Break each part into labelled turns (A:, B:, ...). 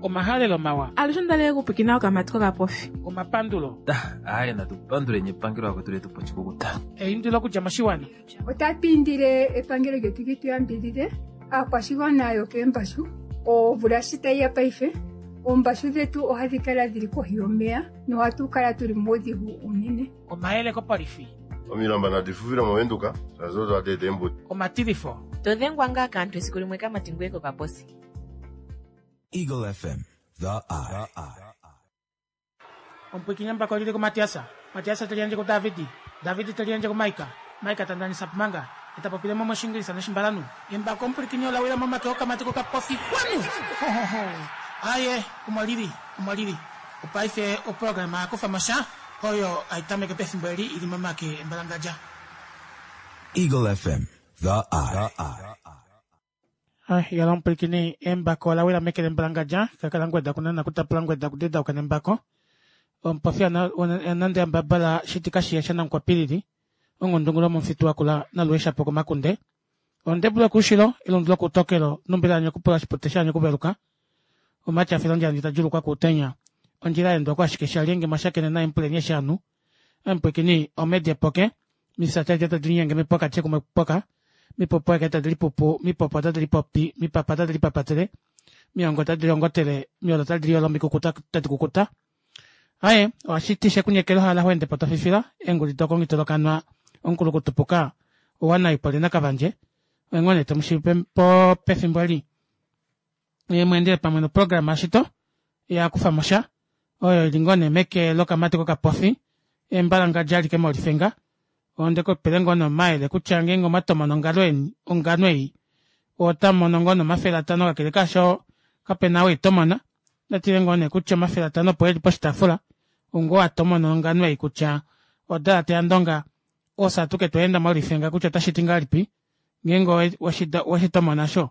A: Omahalelo mawa.
B: Alushe onda li okupwikina okamati kokapofi.
A: Omapandulo.
C: Aaye natu panduleni epangelo akwetu letu poshikukuta.
A: Eindilo okudja moshiwana.
D: Otatu indile epangelo lyetu li tu yambidhidhe aakwashigwana yokeembashu. Omvula shi tayi ya paife, oombashu dhetu ohadhi kala dhili kohi yomeya nohatu kala tuli muudhigu uunene.
A: Omayele kopolifi.
E: Omilamba nadi fufile moVenduka shaashi odo hadi eta eembuto.
A: Omatilifo.
F: To dhengwa ngaa kaantu esiku limwe kamati ngweye kokaposi.
G: Eagle FM, the eye.
A: Omupwikinyi embako oli li kuMatias, Matias te liyandje kuDavid, David te liyandje kuMaika, Maika ta ndanisa Pumanga, ye ta popile mo mOshiingilisa nOshimbalanhu. Embako omupwilikini ola wila momake okamati kokapofi. Kwanu! Ho, ho, ho! Aye, omo li li, omo li li. Opaife oprograma ya kufa mo sha, oyo hai tameke pefimbo eli i li momake embalangadja.
G: Eagle FM, the eye.
A: Yala omupwilikini, embako ola wila meke lembalangadja, kakala ngweda kunana kutapula ngweda kudedauka nembako. Omupofi anande ambabala shitika shiya shanamukwapilili, ongundungulu yomomufitu wakula nalueshapo komakunde. Ondebulu yokuushilo, elundu lokuutokelo, numbila yanyokupula oshipute shaanyokuveluka. Omati a fila ondjala ndji ta djulukwa kuutenya. Ondjila ya endwa ko ashike shalyenge mwa shakene naye mupuleni eshi anu. Omupwilikini, omedi epoke, Mifya tadi tadi linyenge mipoka tye kumwe poka, mipopo eke tadi lipupu, mipopo otadi lipopi, mipapa otadi lipapatele, miongo otadi liongotele, miolo otadi liolo, mikukuta otadi kukuta. Aye, ohashi ti shekunyekela ohala ho ende po to fifila, eenguli dokongitolokanwa, omukulukutupuka, owanaipo lenakavandje, oye ngoo nee to mu shiive po pefimbo eli. Ye mu endele pamwe noprograma yashito ya kufa mo sha oyo ili ngoo nee meke lokamati kokapofi embalangadja alike molifenga onde ku pele ngoo nee omayele kutya ngeenge omwa tomona ongalo eni ongano ei otamu mono ngoo nee 500 kakele kaasho kapena ou itomona ndatile ngoo nee kutya 500 opo eli poshitaafula ongoo atomona ongano ei kutya odalate yandonga ofye atuke twa enda molifenga kutya otashi ti ngahelipi ngeenge weshi tomona sho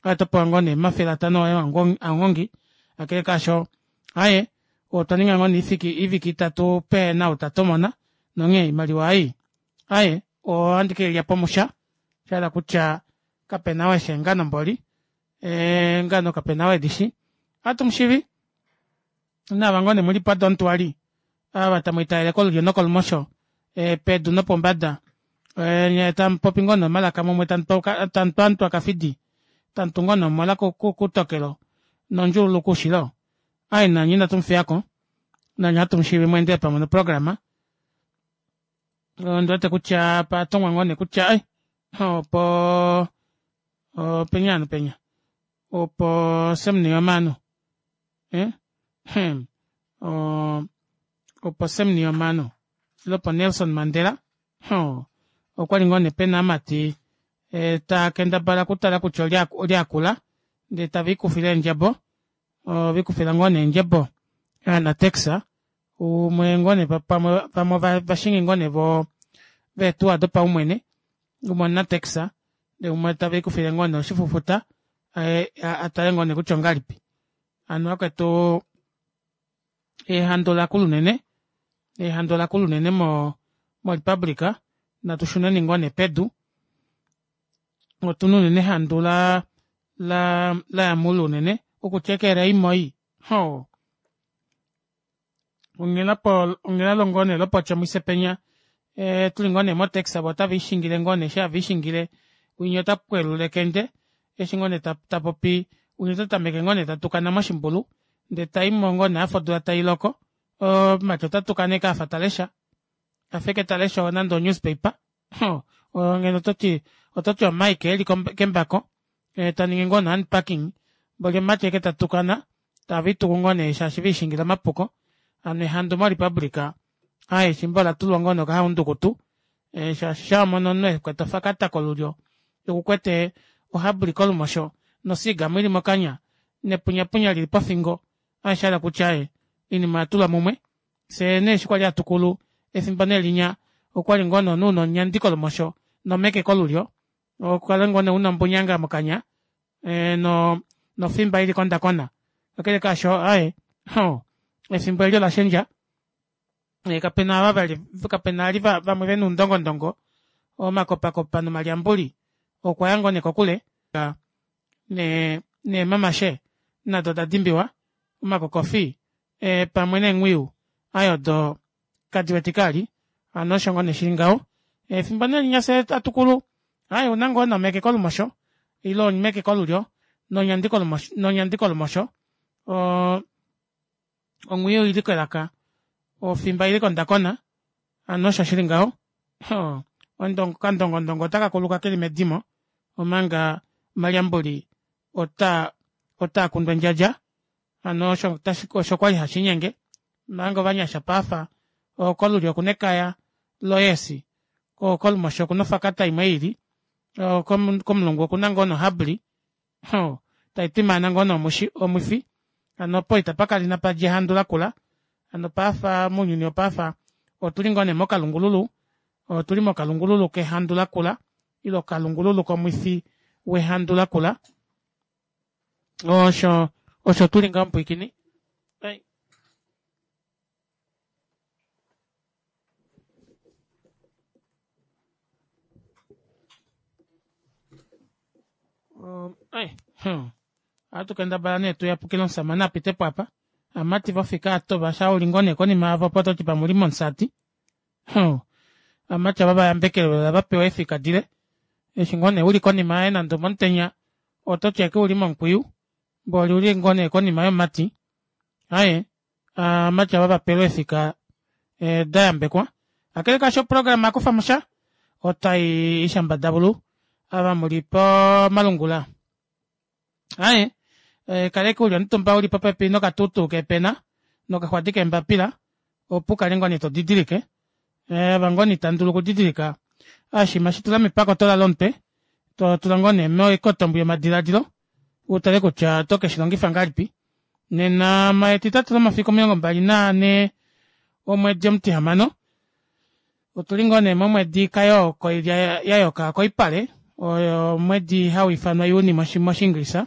A: oto pewa ngoo nee 500 oye anghongi kakele kaasho aye otwa ninga ngoo nee iviki itatu pehena ou ta tomona nonghee oimaliwa ei aye ohandi ke ilya pomusha shahala kutya kapena ou eshi eengano mboli eengano kapena ou edishi ohatu mushivi naava ngoo nee muli padontwali ava tamu itayele kolulyo nokolumosho pedu nopombada nye tamu popi ngoo nee omalaka mumwe tamu twantwa kafidi tamu tu ngoo nee omola kutokelo nondjuululu koushilo ai nanye inatu mufiyako nanye ohatu mushiivi mweendele pamwe noprograma ondi wete kutya patongwa ngoo nee kutya ai opo openya ano penya opo Sam Nujoma ano eh hmm opo Sam Nujoma ano ile opo Nelson Mandela ho okwali ngoo nee pena amati e, ta kendabala okutala kutya olye olye akula ndee tave ikufile eendjebo ove ikufila ngoo nee eendjebo aanatex umwe ngoo nee pamwe pamwe ovashingi ngoo nee vo veetuwa dopaumwene umwe omunatex ndee umwe tave ikufile ngoo nee oshifufuta a tale ngoo nee kutya ongalipi hano vakwetu ehandu lakula unene ehandu olakula unene mo morepublica natu shuneni ngoo nee pedu otuna unene ehandu la la laya muule unene okutya ekele imoi hoo onghela po onghela longo nee lopotyomise penya e, tuli ngoo nee motaxi avo otave ishingile ngoo nee eshi have ishingile winya ota pwelula ekende eshi ngoo nee ta, ta popi winya ota tameke ngoo nee ta tukana moshimbulu ndee taimo ngoo nee afa odula tai loko omumati ota tukana eke afa ta lesha afa eke ta lesha nande onewspaper ngeno ototi ototi omike eli kembako ta ningi ngoo nee unpacking mboli omumati eke ta tukana tave ituku ngoo nee shaashi veishingila omapuko hano ehandu morepublica aaye efimbo ola tulwa ngoo nee okahaundukutu shaashi sha wamono omunhu ekwete ofakata kolulyo okukwete ohabli kolumosho nosigamu ili mokanya nepunyapunya lili pofingo aaye shahala kutya aaye oinima oya tulwa mumwe fyee nee eshi kwali hatukulu efimbo nee linya okwali ngoo nee omunhu una onyandi kolumosho nomeke kolulyo okukala ngoo nee una ombunyanga mokanya e, no nofimba ili kondakona kakele kaasho aye ho efimbo eli ola shendja e, kapena ava vali kapena ali vamwe vena oundongondongo omakopakopa nomalyambuli okwa ya ngoo nee kokule ne neemamashe nado oda dimbiwa. Omakokofi pamwe neenghwiyu aaye odo kadiwetike vali hano osho ngoo nee shili ngaho. Efimbo nee linya fyee hatukulu aaye ouna ngoo nee omeke kolumosho ile omeke kolulyo nonyandi kolumosho oo onghwiyu oili kelaka ofimba oili kondakona hano osho shili ngaho okandongondongo ota kakuluka keli medimo omanga omalyambuli otaa kundu endjadja hano osho kwali hashiinyenge omanga ovanyasha paife oo kolulyo okuna ekaya lo yes koo kolumosho okuna ofakata imwe yiili komulungu okuna ngoo nee o hubbly taitwimaana ngoo nee omwifi hano opo itapakala inapadja ehandu lakula hano paife mounyuni wopaife otuli ngoo nee mokalungululu otuli mokalungululu kehandu lakula ile okalungululu komwifi wehandu lakula osho tuli ngaho mupwiikini. Ohatu kendabala nee tuyapukile omushamane apitepo aapa ovamati vofika atova shaa uli ngoo nee konima yavo opo ototi pamwe ouli momusati ovamati ava vayambekelwe vapewa eefika dile eshi ngoo nee uli konima yaye nande omomutenya ototi ashike ouli momukwiyu mboli ouli ngoo nee konima yomumati aaye ovamati ava vapelwe eefika dayambekwa kakele kaasho oprograma yakufamosha otayi shambadavulu ava muli pomalungula aaye kala ashike uli omutumba uli popepi nokatutu keepena nokaxwadi keembapila opo ukale ngoo nee todidilike ava ngoo nee itandulu okudidilika oshinima shitula mepakotola lomutwe totula ngoo nee moikotombo yomadilaadilo utale kutya oto keshilongifa ngahelipi nena etitatu lomafiku 24 omwedi omutihamano otuli ngoo nee momwedi kayoo koilya yayoka koipale oyo omwedi hauifanwa juni moshinglisa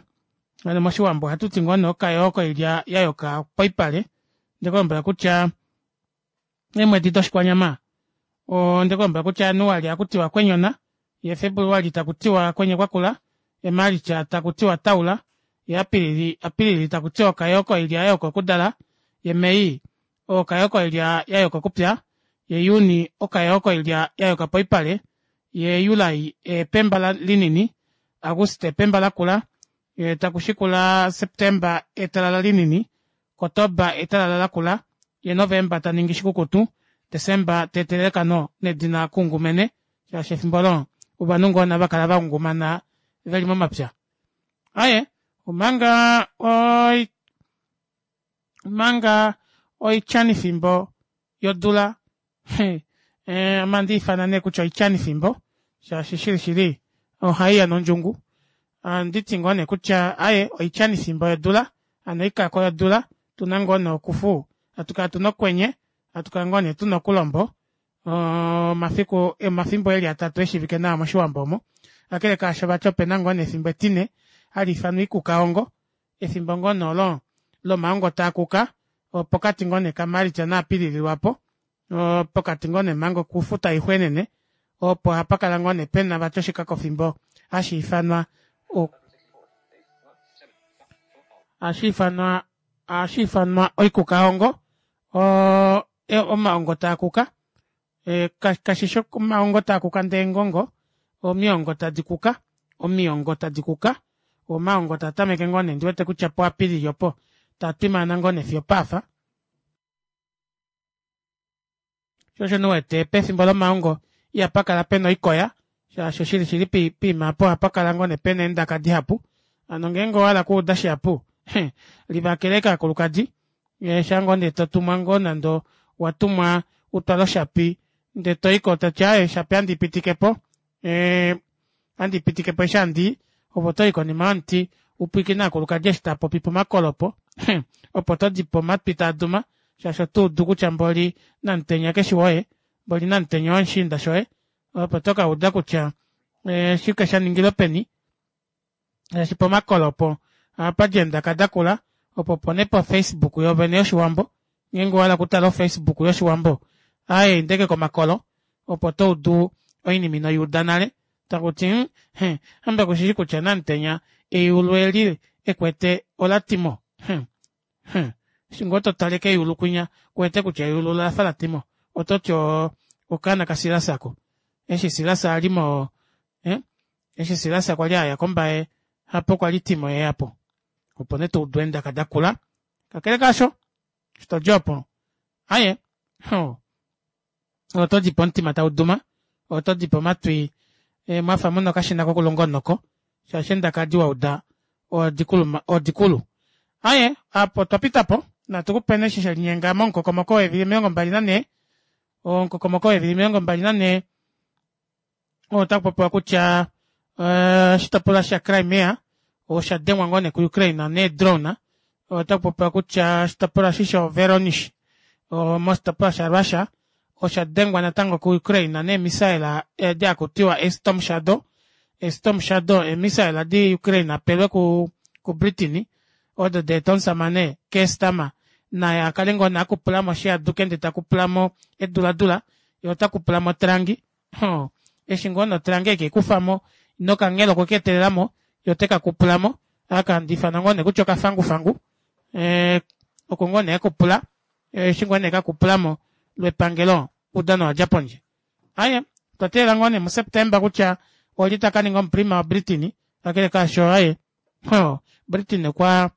A: hano moshiwambo ohatuti ngoo nee okayoo koilya yayoka poipale ondekulombwela kutya eemwedi doshikwanyama ondekulombwela kutya januali ohakutiwa kwenyona yee februali takutiwa kwenye kwakula yee march takutiwa taula yee apilili takutiwa okayoo koilya yayoka okudala yee may okayoo koilya yayoka okupya ye juni okayoo koilya yayoka poipale yee july epemba linini auguste epemba lakula yee takushikula september etalala linini kotoba etalala lakula yee november taningi shikukutu december teetelele ekano nedina kungumene shaashi efimbo olo ovanhu ngoo nee havakala vangungumana veli momapya. Aaye omanga omanga oityanifimbo yodula ame ohandiifana nee kutya oityanifimbo shaashi shili shili ohaiya nondjungu ohanditi ngoo nee kutya aaye oityanifimbo yodula hano oikako yodula otuna ngoo nee okufu hatukala tuna okwenye hatukala ngoo nee tuna okulombo omafiku omafimbo eli atatu eshiivike nawa moshiwambo omo kakele kaasho vati opena ngoo nee efimbo etine hali ifanwa oikukaongo efimbo ngoo nee olo lomaongo taakuka opokati ngoo nee ka march na apilili lwaapo pokati ngoo nee manga okufu taixwenene opo hapakala ngoo nee pena vati oshikakofimbo hashiifanwa hashiifanwa hashiifanwa oikukaongo oo omaongo taakuka kashishi omaongo taakuka ndee eengongo omiongo tadi kuka omiongo tadi kuka omaongo taatameke ngoo nee ondiwete kutya pu apilili opo taatwimaana ngoo nee fiyo opaafa shoo osho nee uwete pefimbo lomaongo ihapakala pena oikoya shaashi oshili shili poima aapo ohapakala ngoo nee pena eendaka dihapu hano ngeenge owahala okuuda shihapu livakela ashike ovakulukadi shaa ngoo nee totumwa ngoo nande owatumwa utwale oshapi ndee toyiko toti aaye oshapi ohandi ipitikepo ohandi ipitikepo eshi handii ove otoyi konima yomuti upwiikine ovakulukadi eshi taapopi pomakolo opo opo todipo omatwi taaduma shaashi otoudu kutya mboli namutenya keshi woye mboli namutenya owomushiinda shoye opo tokauda kutya oshike shaningilwe peni shaashi pomakolo opo ohapadi eendaka dakula opo opo nee po facebook yoovene yoshiwambo ngeenge owahala okutala o facebook yoshiwambo aaye inda ashike komakolo opo toudu oinima inoyuuda nale takuti hamba kushishi kutya namutenya eyulu eli ekwete olatimo. Eshi ngoo totale keyulu kwinya kuwete kutya eyulu olafa latimo ototi okaana ka silas ako eshi silas ali moo eshi silas kwali aya kombaye hapo kwali timo eyapo opo nee toudu eendaka dakula kakele kaasho eshi todi opo aaye otodipo omutima tauduma otodipo omatwi mwafa muna okashina kokulunga omunoko shaashi eendaka edi wauda odikulu aaye aapo otwa pitapo natu kupeni eshi shelinyenga momukokomoko weevili 24 omukokomoko weevili 24 otakupopiwa kutya oshitopolwa sha crimea osha dengwa ngoo nee ku ukraine nee drone otakupopiwa kutya oshitopolwa eshi sho veronish moshitopolwa sha russia osha dengwa natango ku ukraine nee missile edi hakutiwa ee storm shadow ee storm shadow ee missile edi ukraine apelwe ku ku britain odo daeta omusamane Keir Starmer naye akale ngoo nee akupulamo shihaduke ndee takupulamo eduladula yee otakupulamo otrangi eshi ngoo nee otrangi ekeikufamo nokanghelo okwe keetelelamo yee otekakupulamo aka handiifana ngoo nee kutya okafangufangu oko ngoo nee akupula eshi ngoo nee ekakupulamo lwepangelo oudano owadja pondje aaye otwa teelela ngoo nee mu september kutya olye takaninga omuprima wa britain kakele kaasho aaye britain okwa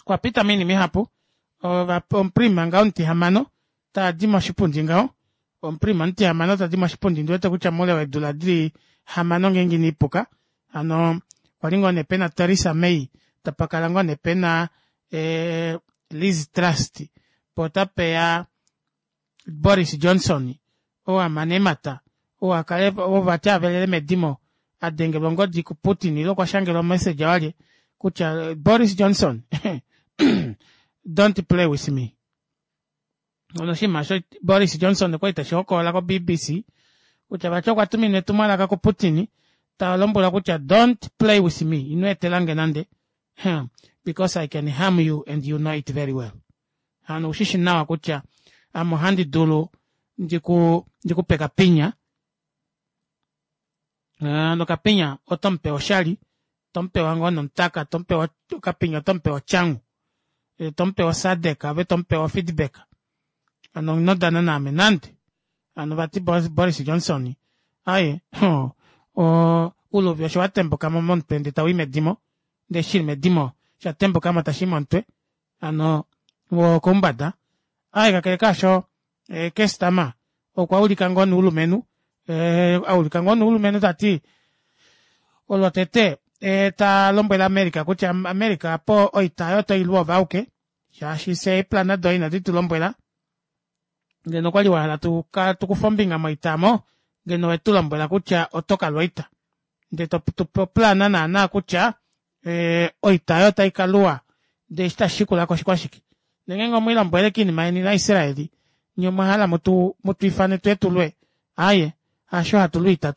A: okwa pita moinima ihapu omuprima ngaho omutihamano tadi moshipundi ngaho omuprima omutihamano tadi moshipundi ndiwete kutya moule weedula dili hamano ngeenge ina ipuka hano kwali ngoo nee pena Theresa May tapakala ngoo nee pena eh, Liz Trust po otapeya Boris Johnson oo amana eemata oo akale oo vati avelele medimo adengelwa ongodi ku Putin ile okwa shangelwa omessage walye kutya Boris Johnson don't play with me ono oshinima osho Boris Johnson okwali teshi hokolola ko BBC kutya vati okwa tuminwa etumwalaka ku Putin ta lombwelwa kutya don't play with me ino etelange nande because I can harm you and you know it very well hano ushishi nawa kutya ame ohandi dulu ndiku ndikupe kapinya nokapinya oto mupe oshali tomupewa ngoo nomutaka tomupewa okapinya otomupewa otyangu tomupewa osadek ove tomupewa ofeedback hano ino dana naame nande hano vati Boris Johnson aye uluvi osho watembukamo momutwe ndee tawii medimo ndee shili medimo shatembukamo tashii momutwe hano wokoumbada aaye kakele kaasho eh, kestama okwa ulika ngoo noulumenhu eh, aulika ngoo noulumenhu tati olwotete eh, ta lombwele America kutya America apo oita oyo oto ilu ove auke shaashi fye eeplana doye inadi tu lombwela ngeno okwali wa hala tukufe ombinga moita omo ngeno owetu lombwela kutya oto kalwa oita ndee totupe oplana naana kutya eh, oita oyo otai kaluwa ndee eshi tashi shikulako oshikwashike ndee ngeenge omwiilombwele kiinima yeni naIsraeli nye omwa hala mutu mutu ifane tuye tulwe aaye hasho hatu lwiita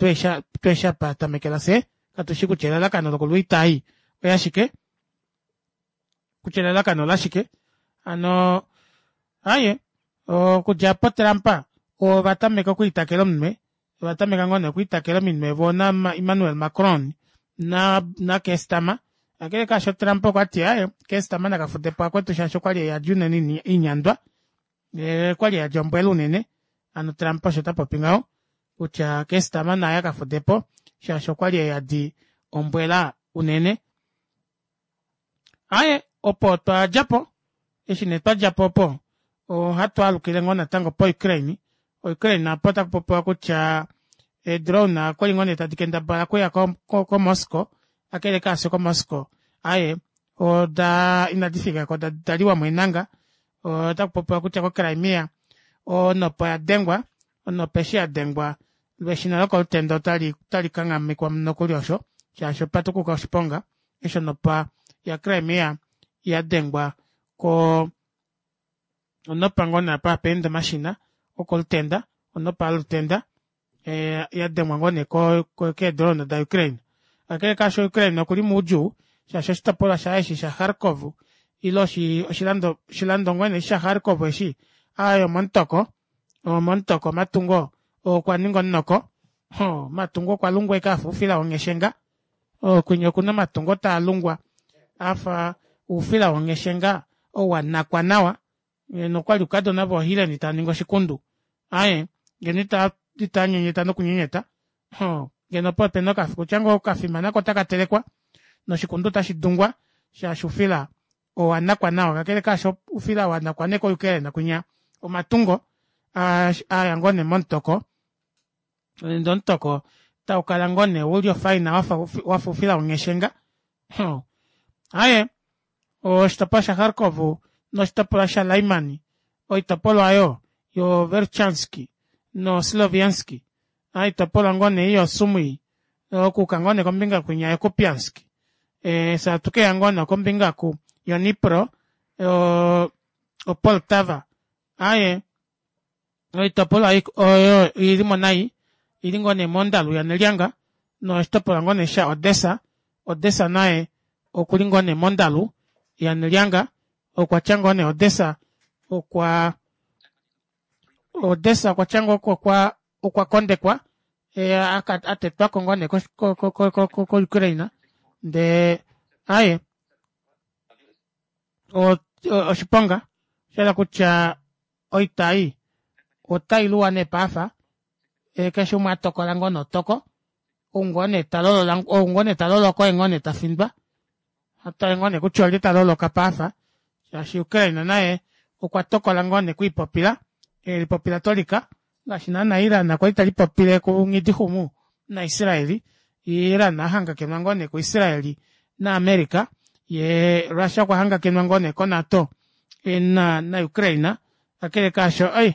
A: twesha pa tamekela fye katushi kutya elalakano lokulwiita ei oyashike kutya elalakano olashike hano aaye okudja apo Trump ova tameka okwiitakela omunwe ova tameka ngoo nee okwiitakela ominwe voo na Emmanuel Macron na na Keir Starmer kakele kaasho Trump okwa ti aaye Keir Starmer nakafudepo akwetu shaashi okwali eyadi unene inyandwa okwali eyadi ombwela unene hano Trump osho ta popi ngaho kutya Keir Starmer naye akafudepo shaashi okwali eyadi ombwela unene Aaye, opo otwa dja po. Eshi nee twa dja po opo, ohatu alukile ngoo natango poUkraine. Ukraine apo otaku popiwa kutya eedrone okwali ngoo nee tadi kendabala okuya koMoscow, kakele kaasho koMoscow, aaye, oda inadi fika ko, oda liwa mo eenanga. Otaku popiwa kutya koCrimea onopa oya dengwa, onopa eshi ya dengwa lweshina lokolutenda otali otali kanghamekwa nokuli osho, shaashi opa tukuka oshiponga. Eshi onopa ya Crimea ya dengwa ko onopa ngoo nee apa hapa ende omashina okolutenda onopa yolutenda ya dengwa ngoo nee keedrone da Ukraine. Kakele kaasho Ukraine okuli moudjuu shaashi oshitopolwa shaye eshi sha Kharkov ile oshilando oshilando ngoo nee sha Kharkov eshi aaye omomutoko omomutoko omatungo okwa ninga omunoko omatungo okwa lungwa ashike afa oufila wongheshenga Kwinya okuna omatungo taa lungwa afa oufila wongheshenga. Ou wanakwa nawa ngeno okwali oukadona voohileni taaningi oshikundu aaye ngeno itaanyenyeta nokunyenyeta hoo ngeno opo opena kutya ngoo okafima nako otakatelekwa noshikundu ota shidungwa shaashi oufila owanakwa nawa kakele kaasho oufila wanakwa nee ko ukraine kwinya omatungo aya ngoo nee momutoko ndee omutoko taukala ngoo nee uli ofaina wafa oufila wongheshenga aaye oshitopolwa sha kharkov noshitopolwa sha lyman oitopolwa aayo yo verchansk no sloviansk oitopolwa ngoo nee ei yo sumwi okuuka ngoo nee kombinga kwinya yo kupiansk fyee atukeya ngoo nee kombinga oku yo nipro o poltava aaye oitopolwa oyo oilimo nai oili ngoo nee mondalu yanelyanga noshitopolwa ngoo nee sha odessa, odessa naye okuli ngoo nee mondalu yanelyanga okwatya ngoo nee odessa okwa odessa okwatya ngoo okwa kondekwa atetwako ngoo nee ko ukraine ndee aaye oshiponga oshahala kutya oita ei otailuwa nee paife keshe umwe atokola ngoo nee otoko ou ngoo nee talolola ou ngoo nee taloloka oye ngoo nee tafindwa hatutale ngoo nee kutya olye taloloka paife shaashi ukraine naye okwa tokola ngoo nee okwiipopila elipopila tolika ngaashi naana iran kwali telipopile ku nghidixumu na israeli iran ahangakenwa ngoo nee ku israeli na america yee russia okwa hangakenwa ngoo nee ko nato na ukraine kakele kaasho ei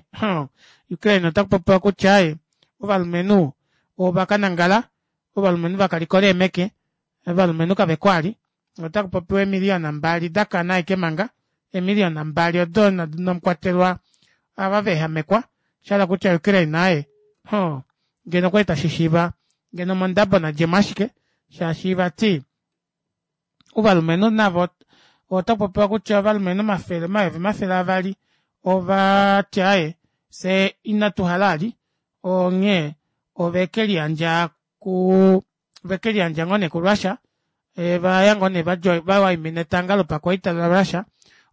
A: ukraine otakupopiwa kutya aaye ovalumenhu ovakanangala ovalumenhu vakalikola eemeke ovalumenhu kaveko ali otakupopiwa eemiliyona mbali dakana ashike manga eemiliyona mbali odo inamukwatelwa ava veehamekwa oshahala kutya ukraine aaye ngeno okwali tashishiiva ngeno mondabo nadjemo ashike shaashi vati ovalumenhu navo otakupopiwa kutya ovalumenhu omafele omayovi 200 ovati aaye fyee inatuhala ali onghee ovekeliyandja ku vekeliyandja ngoo nee ku russia vaya ngoo nee vawaimina etanga lopakwaita la russia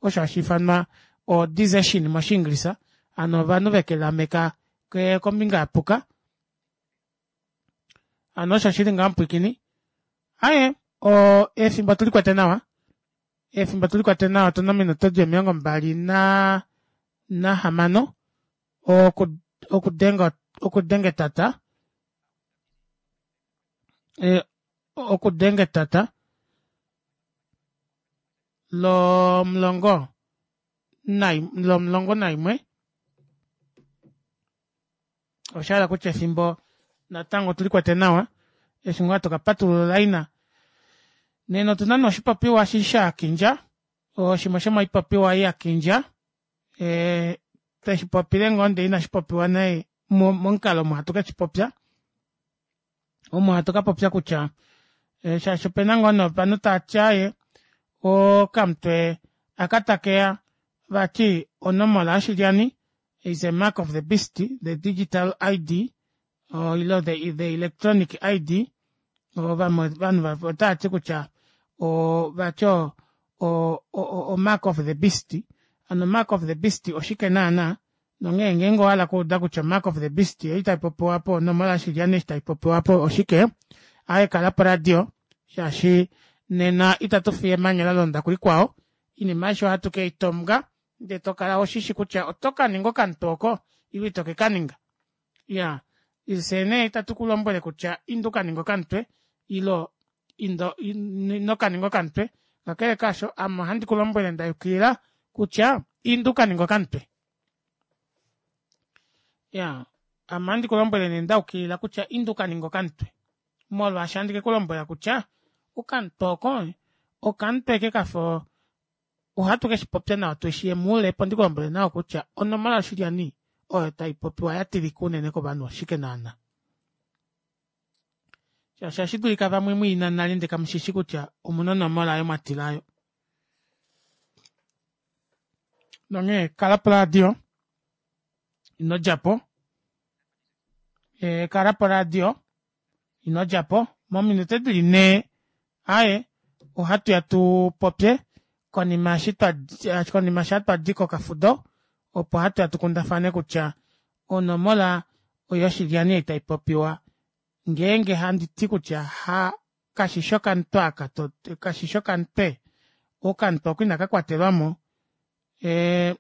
A: osho hashiifanwa o desertion moshiingilisa hano ovanhu vekeliameka kombinga yapuka hano osho shili ngaho mupwiikini aaye efimbo otulikwete nawa efimbo otulikwete nawa otuna ominute dili omilongo mbali nahamano okudenga okudenga etata okudenga etata lomulongo lomulongo naimwe oshahala kutya efimbo natango otulikwete nawa eshi ngoo hatu kapatulula olaina nena otuna nee oshipopiwa eshi shakindja oshimwe shomoipopiwa ei yakindja tweshipopile ngoo ndee inashipopiwa nee momukalo omo hatu keshipopya omo hatu kapopya kutya shaashi opena ngoo nee ovanhu taati aaye okamutwe aka takeya vati onomola yoshilyani is a mark of the beast the digital id ile the electronic id ovanhu otavati kutya vati o mark of the beast hano mark of the beast oshike naana nonghee ngeenge owahala okuuda kutya mark of the beast ei taipopiwa apo onomola yoshilyani eshi taipopiwa apo oshike aaye kala poradio shaashi nena itatu fiye emanya lalonda kulikwao oinima aishe ohatu keitonga ndee tokala ushishi kutya oto kaninga okamutwe oko ile ito kekaninga iyaa fyee nee itatu kulombwele kutya inda ukaninge okamutwe ile ino kaninga okamutwe kakele kaasho ame ohandi kulombwele ndayukilila kutya inda ukaninge okamutwe iyaa ame ohandi kulombwele nee ndayukilila kutya inda ukaninge okamutwe molwaashi ohandi kekulombwela kutya okamutwe oko okamutwe ashike kafa ohatu keshipopya nawa tushi muule opo ndikulombwele nawa kutya onomola yoshilyani oyo taipopiwa yatilika unene kovanhu oshike naana shaashi ohashi dulika vamwe mwiina nale ndee kamushishi kutya omuna onomola oyo mwatila oyo nonghee kala poradio ino djapo kala poradio ino djapo mominute dili nhee aaye ohatuya tupopye. Konima eshi twa konima sha twa di kokafudo opo hatu ya tu kundafane kutya onomola yoshilyani ei tai popiwa ngeenge handi ti kutya ha kashi okamutwe aka to kashi okamutwe okamutwe oko inaka kwatelwamo e,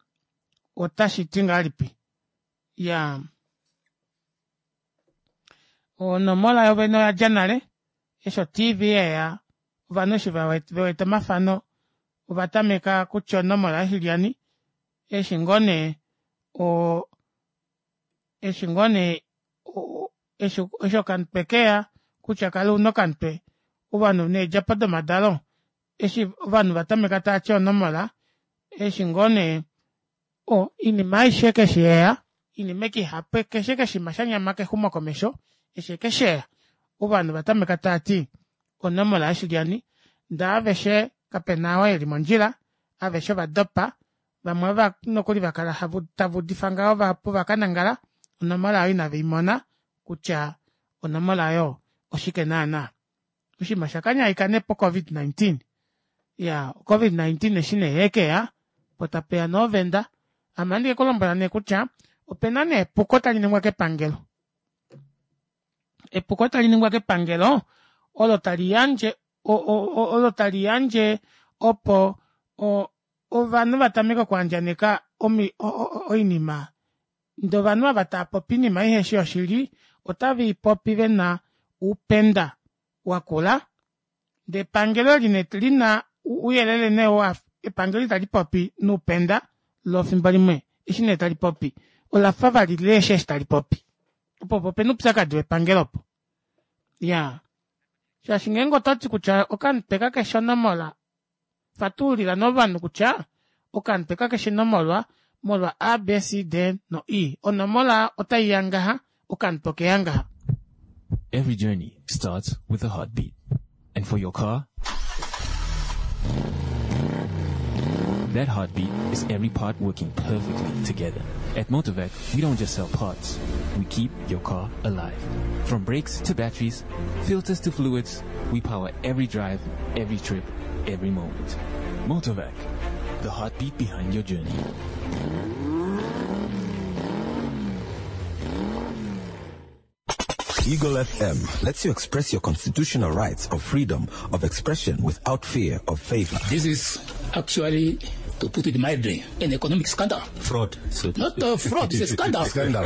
A: otashi ti ngahelipi ya onomola yovene oya dja nale eshi otv yeya ovanhu eshi vewete omafano ova tameka kutya onomola yoshilyani eshi ngoo nee o eshi ngoo nee eshi eshi okamutwe keya kutya kala una okamutwe ovanhu needjapo domadalo eshi ovanhu va tameka tava ti onomola eshi ngoo nee o inima aishe keshe yeya inima eke ihapu keshe keshima shanyama kexumokomesho eshi ekesheya ovanhu va tameka tava ti onomola yoshilyani ndee aveshe kapena oo eli mondjila aveshe ova dopa vamwe ova nokuli vakala tava udifa ngaho vahapu vakanangala onomola oyo inave imona kutya onomola oyo oshike naana. Oshinima osha kanyaika nee po COVID-19. Ya COVID-19 eshi nee yekeya po tapeya nee ovenda. Ame ohandi ke ku lombwela nee kutya opena nee epuko tali ningwa kepangelo. Epuko tali ningwa kepangelo olo tali yandje olo tali yandje opo ovanhu va tameke okuandjaneka oinima ndee ovanhu ava tava popi oinima iheshi yoshili otave i popi vena oupenda wakula ndee epangelo eli nee lina ouyelele nee wa epangelo itali popi noupenda loo fimbo limwe eshi nee tali popi olafa vali liheshi eshi tali popi opo opo opena oupyakadi wepangelo opo iyaa shaashi ngeenge ototi kutya okamutwe kakeshi onomola Fatululila nee ovanhu kutya okamutwe kakeshi nomolwa molwa A, B, C, D no E. Onomola otai ya ngaha, okamutwe okeya ngaha.
C: Every journey starts with a heartbeat. And for your car, that heartbeat is every part working perfectly together. At Motorvac, we don't just sell parts. We keep your car alive. From brakes to batteries, filters to fluids, we power every drive, every trip, every moment. Motorvac, the heartbeat behind your journey.
G: Eagle FM lets you express your constitutional rights of freedom of expression without fear of favor.
H: This is actually, to put it mildly, an economic scandal.
I: Fraud. So
H: Not a fraud, it's a scandal.
E: Scandal.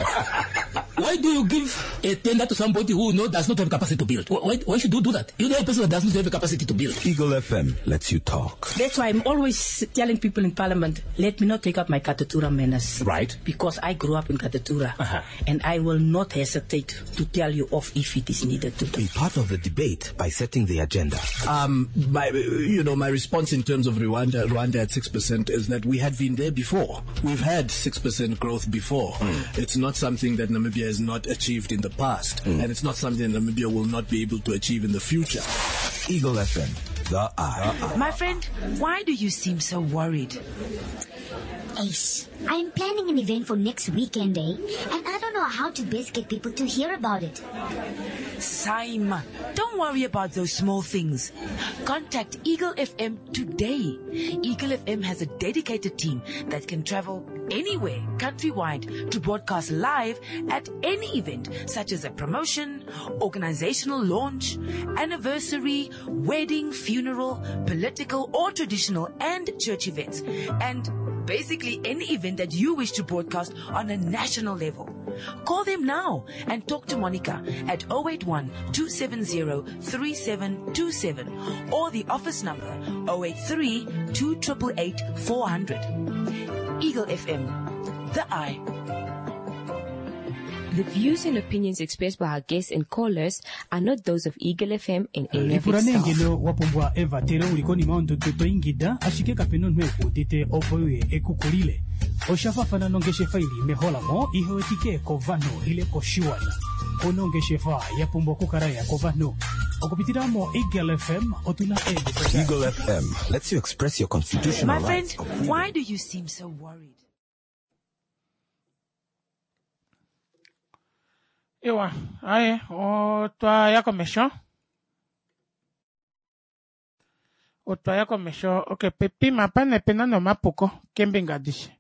H: Why do you give a tender to somebody who know does not have capacity to build? Why, why should you do that? You know a person that does not have capacity to build.
G: Eagle FM lets you talk.
J: That's why I'm always telling people in Parliament, let me not take up my Katutura manners.
H: Right.
J: Because I grew up in Katutura. Uh-huh. And I will not hesitate to tell you off if it is needed to.
G: Be part of the debate by setting the agenda.
I: Um, my, you know, my response in terms of Rwanda, Rwanda at 6% is that we had been there before. We've had 6% growth before. Mm. It's not something that Namibia has not achieved in the past. Mm. And it's not something that Namibia will not be able to achieve in the future.
G: Eagle FM, the eye.
K: My friend, why do you seem so worried?
L: Ace, I'm planning an event for next weekend, eh? And I don't know how to best get people to hear about it.
K: Saima, don't worry about those small things. Contact Eagle FM today. Eagle FM has a dedicated team that can travel anywhere countrywide to broadcast live at any event such as a promotion, organizational launch, anniversary, wedding, funeral, political or traditional and church events. And basically any event that you wish to broadcast on a national level. Call them now and talk to Monica at 081 270 3727 or the office number 083 288 400. Eagle FM, the eye.
M: The views and opinions expressed by our guests and callers are not those of Eagle FM and any of
N: lipula
M: its
N: nee
M: staff.
N: ngeno wa pumbwa evatelo uli konima yondudu to ingida ashike kape na omunhu ekuudite opo uye ekukulile osha fafana nongeshefa ili meholamo ihewetike kovanhu ile koshiwana kuna ongeshefa ya pumbwa okukala ya kovanhu okupitila mo Eagle FM otuna eemhito
G: Eagle FM lets you express your
K: My
G: constitutional
K: friend,
G: rights of freedom.
K: why do you seem so worried?
A: Ewa, aye, otwa ya komesho. Otwaya komesho okay pepima apa nee opena nee omapuko keembinga adishe.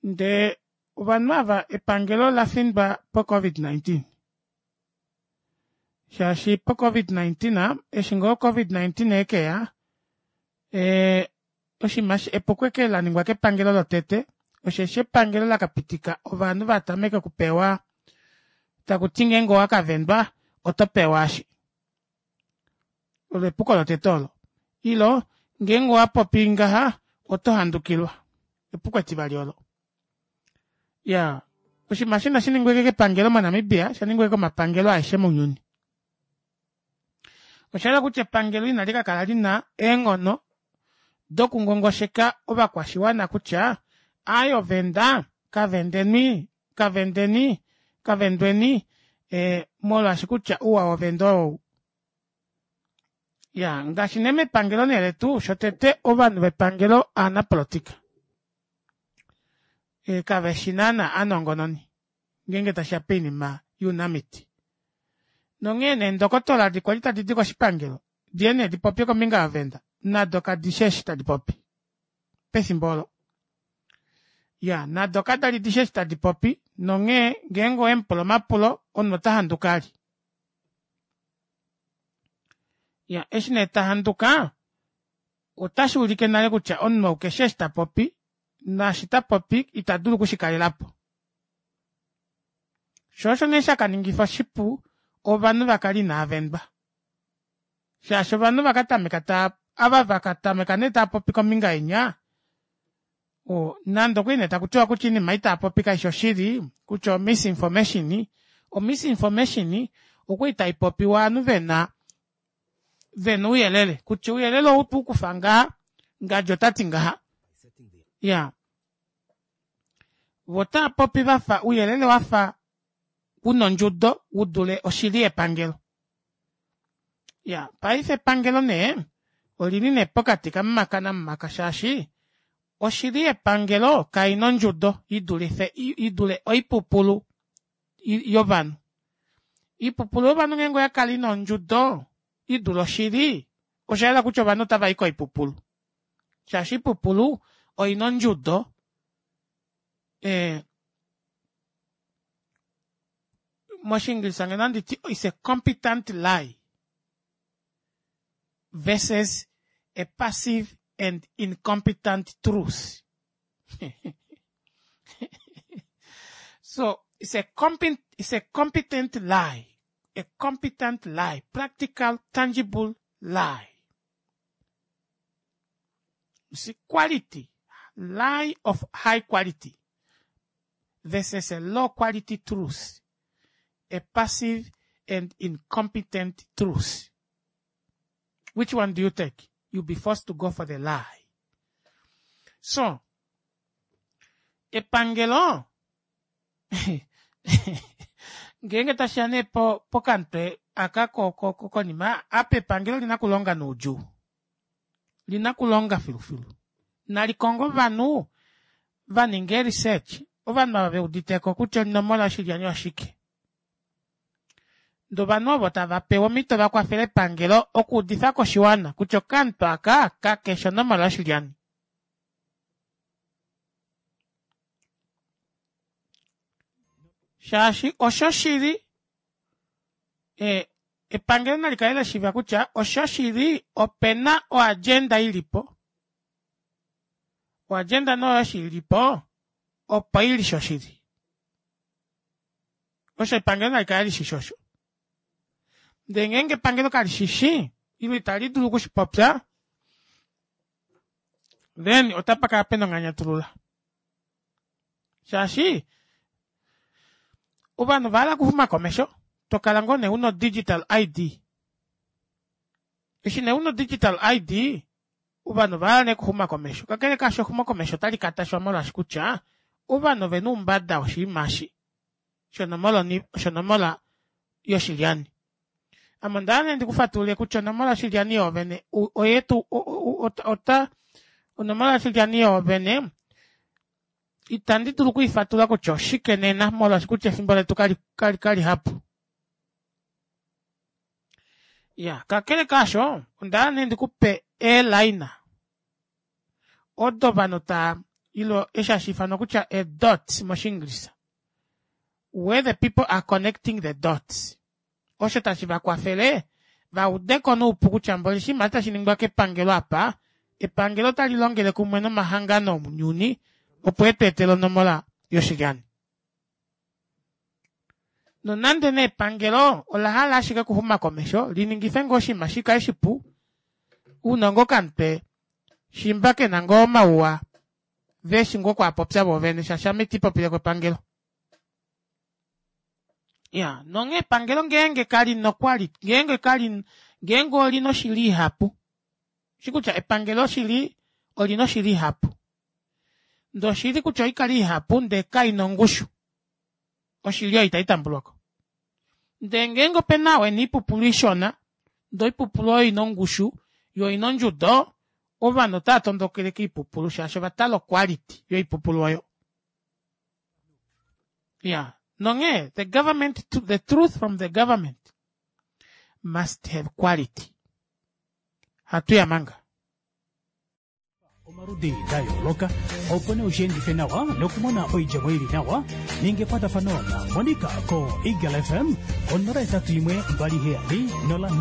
A: Ndee ovanhu ava epangelo olafindwa po covid 19 shaashi po covid 19 eshi ngoo covid 19 ekeya ee oshinima epuko eke laningwa kepangelo lotete osheshi epangelo lakapitika ovanhu vatameke okupewa takuti ngeenge owakavendwa oto pewa eshi olo epuko lotete olo ilo ngeenge owapopi ngaha oto handukilwa epuko etivali olo ya oshinima eshi inashi ningwa ashike kepangelo monamibia osha ningwa ashike komapangelo aeshe mounyuni oshahala kutya epangelo inali kakala lina eenghono dokungongosheka ovakwashiwana kutya aaye ovenda kavendeni kavendeni kavendweni eh, molwaashi kutya ouwa wovenda ou ya ngaashi nee mepangelo nee letu shotete ovanhu vepangelo aanapolitika e, kaveshi naana aanongononi ngeenge tashiya poinima younamiti nonghee nee ndokotola edi kwali tadi di koshipangelo diye nee dipopye kombinga yovenda nado kadishi eshi tadi popi pefimbo olo ya nado kadali dishi eshi tadi popi nonghee ngeenge owemupula omapulo omunhu ota handuka ali ya eshi nee tahanduka otashi ulike nale kutya omunhu ou keshi eshi tapopi naashi tapopi ita dulu okushikalelapo shoo osho nee shakaningifa oshipu ovanhu vakale inaavendwa shaashi ovanhu vakatameka taa ava vakatameka nee taapopi kombinga yenya nande okuli nee takutiwa kutya oinima ei taapopi kaishi oshili kutya omisinformation omisinformation okwali taipopiwa ovanhu vena vena ouyelele kutya ouyelele ou otweukufa ngaha ngadi otati ngaha iya vo otaapopi vafa ouyelele wafa una ondjudo udule oshili yepangelo ya paife epangelo nee olili nee pokati kamumaka namumaka shaashi oshili yepangelo kaina ondjudo idulife idule oipupulu yovanhu oipupulu yovanhu ngeenge oyakala ina ondjudo idule oshili oshayela kutya ovanhu otavai koipupulu shaashi oipupulu oina ondjudo eh, moshiingilisa ngeno anditi is a competent lie versus a passive and incompetent truth so it's a competent it's a competent lie a competent lie practical tangible lie you see quality lie of high quality versus a low quality truth a passive and incompetent truth which one do you take you'll be forced to go for the lie so epangelo ngeenge tashiya nee pokamutwe aka konima apa epangelo olina okulonga noudjuu lina okulonga filufilu nalikonge ovanhu vaninge ee-research ovanhu ava veuditeko kutya onomola yoshilyani oshike ndee ovanhu ovo tava pewa omhito vakwafele epangelo okuudifa koshiwana kutya okamutwe aka kakeshi onomola yoshilyani shaashi osho shili e, epangelo nali kale lashiiva kutya osho shili opena oagenda ilipo oagenda nee oyo ilipo opo ili shoshili osho epangelo nali kale lishishi osho ndee ngeenge epangelo kalishishi ile itali dulu okushipopya then otapa kala pena onganyatulula shaashi ovanhu ovahala okuxuma komesho tokala ngoo nee una digital id eshi nee una digital id ovanhu ovahala nee okuxuma komesho kakele kaasho exumo komesho otali katashwa molwaashi kutya ovanhu ovena oumbada woshinima eshi shonomola yoshilyani ame ondahala nee ndikufatulule kutya onomola yoshilyani yoovene oyetu ota onomola yoshilyani yoovene itandi dulu okuifatula kutya oshike nena molwaashi kutya efimbo letu kali, kali, kali hapu. Ya, kakele kaasho, onda hala nee ndi ku pe eelaina odo ovanhu taa ilo eshi hashi ifanwa kutya e dots mOshiingilisa. Where the people are connecting the dots. Osho tashi va kwafele va ude ko noupu kutya mboli oshinima tashi ningwa kepangelo apa, epangelo otali longele kumwe nomahangano omunyuni opo e tu etele onomola yoshilyani. Nonande nee epangelo ola hala ashike okuxuma komesho, li ningife ngoo oshinima shi kale shipu, uunongo okamutwe shimba ke na ngoo omauwa ve shi ngoo okwaapopya vo vene shaashi ame iti popile ko epangelo. Ya, nonghee epangelo ngeenge kali na okwali, ngeenge kali, ngeenge oli na oshili ihapu, shi kutya epangelo shili oli na oshili ihapu. Ndee oshili kutya oikale ihapu ndee kai na ongushu, oshili oyo itai tambulwa ko. Ndee ngeenge ope na oo e na oipupulu ishona, ndee oipupulu oyo oi na ongushu yo oi na ondjudo, ovanhu otava tondokele koipupulu shaashi ova tala oquality yoipupulu oyo. Ya, nonghee the government, the truth from the government must have quality. Hatu ya manga.
N: omaludi da yooloka opo nee ushiendife nawa nokumona oidjemo ili nawa ninga ekwatafano na Monica ko Eagle FM ko 081 27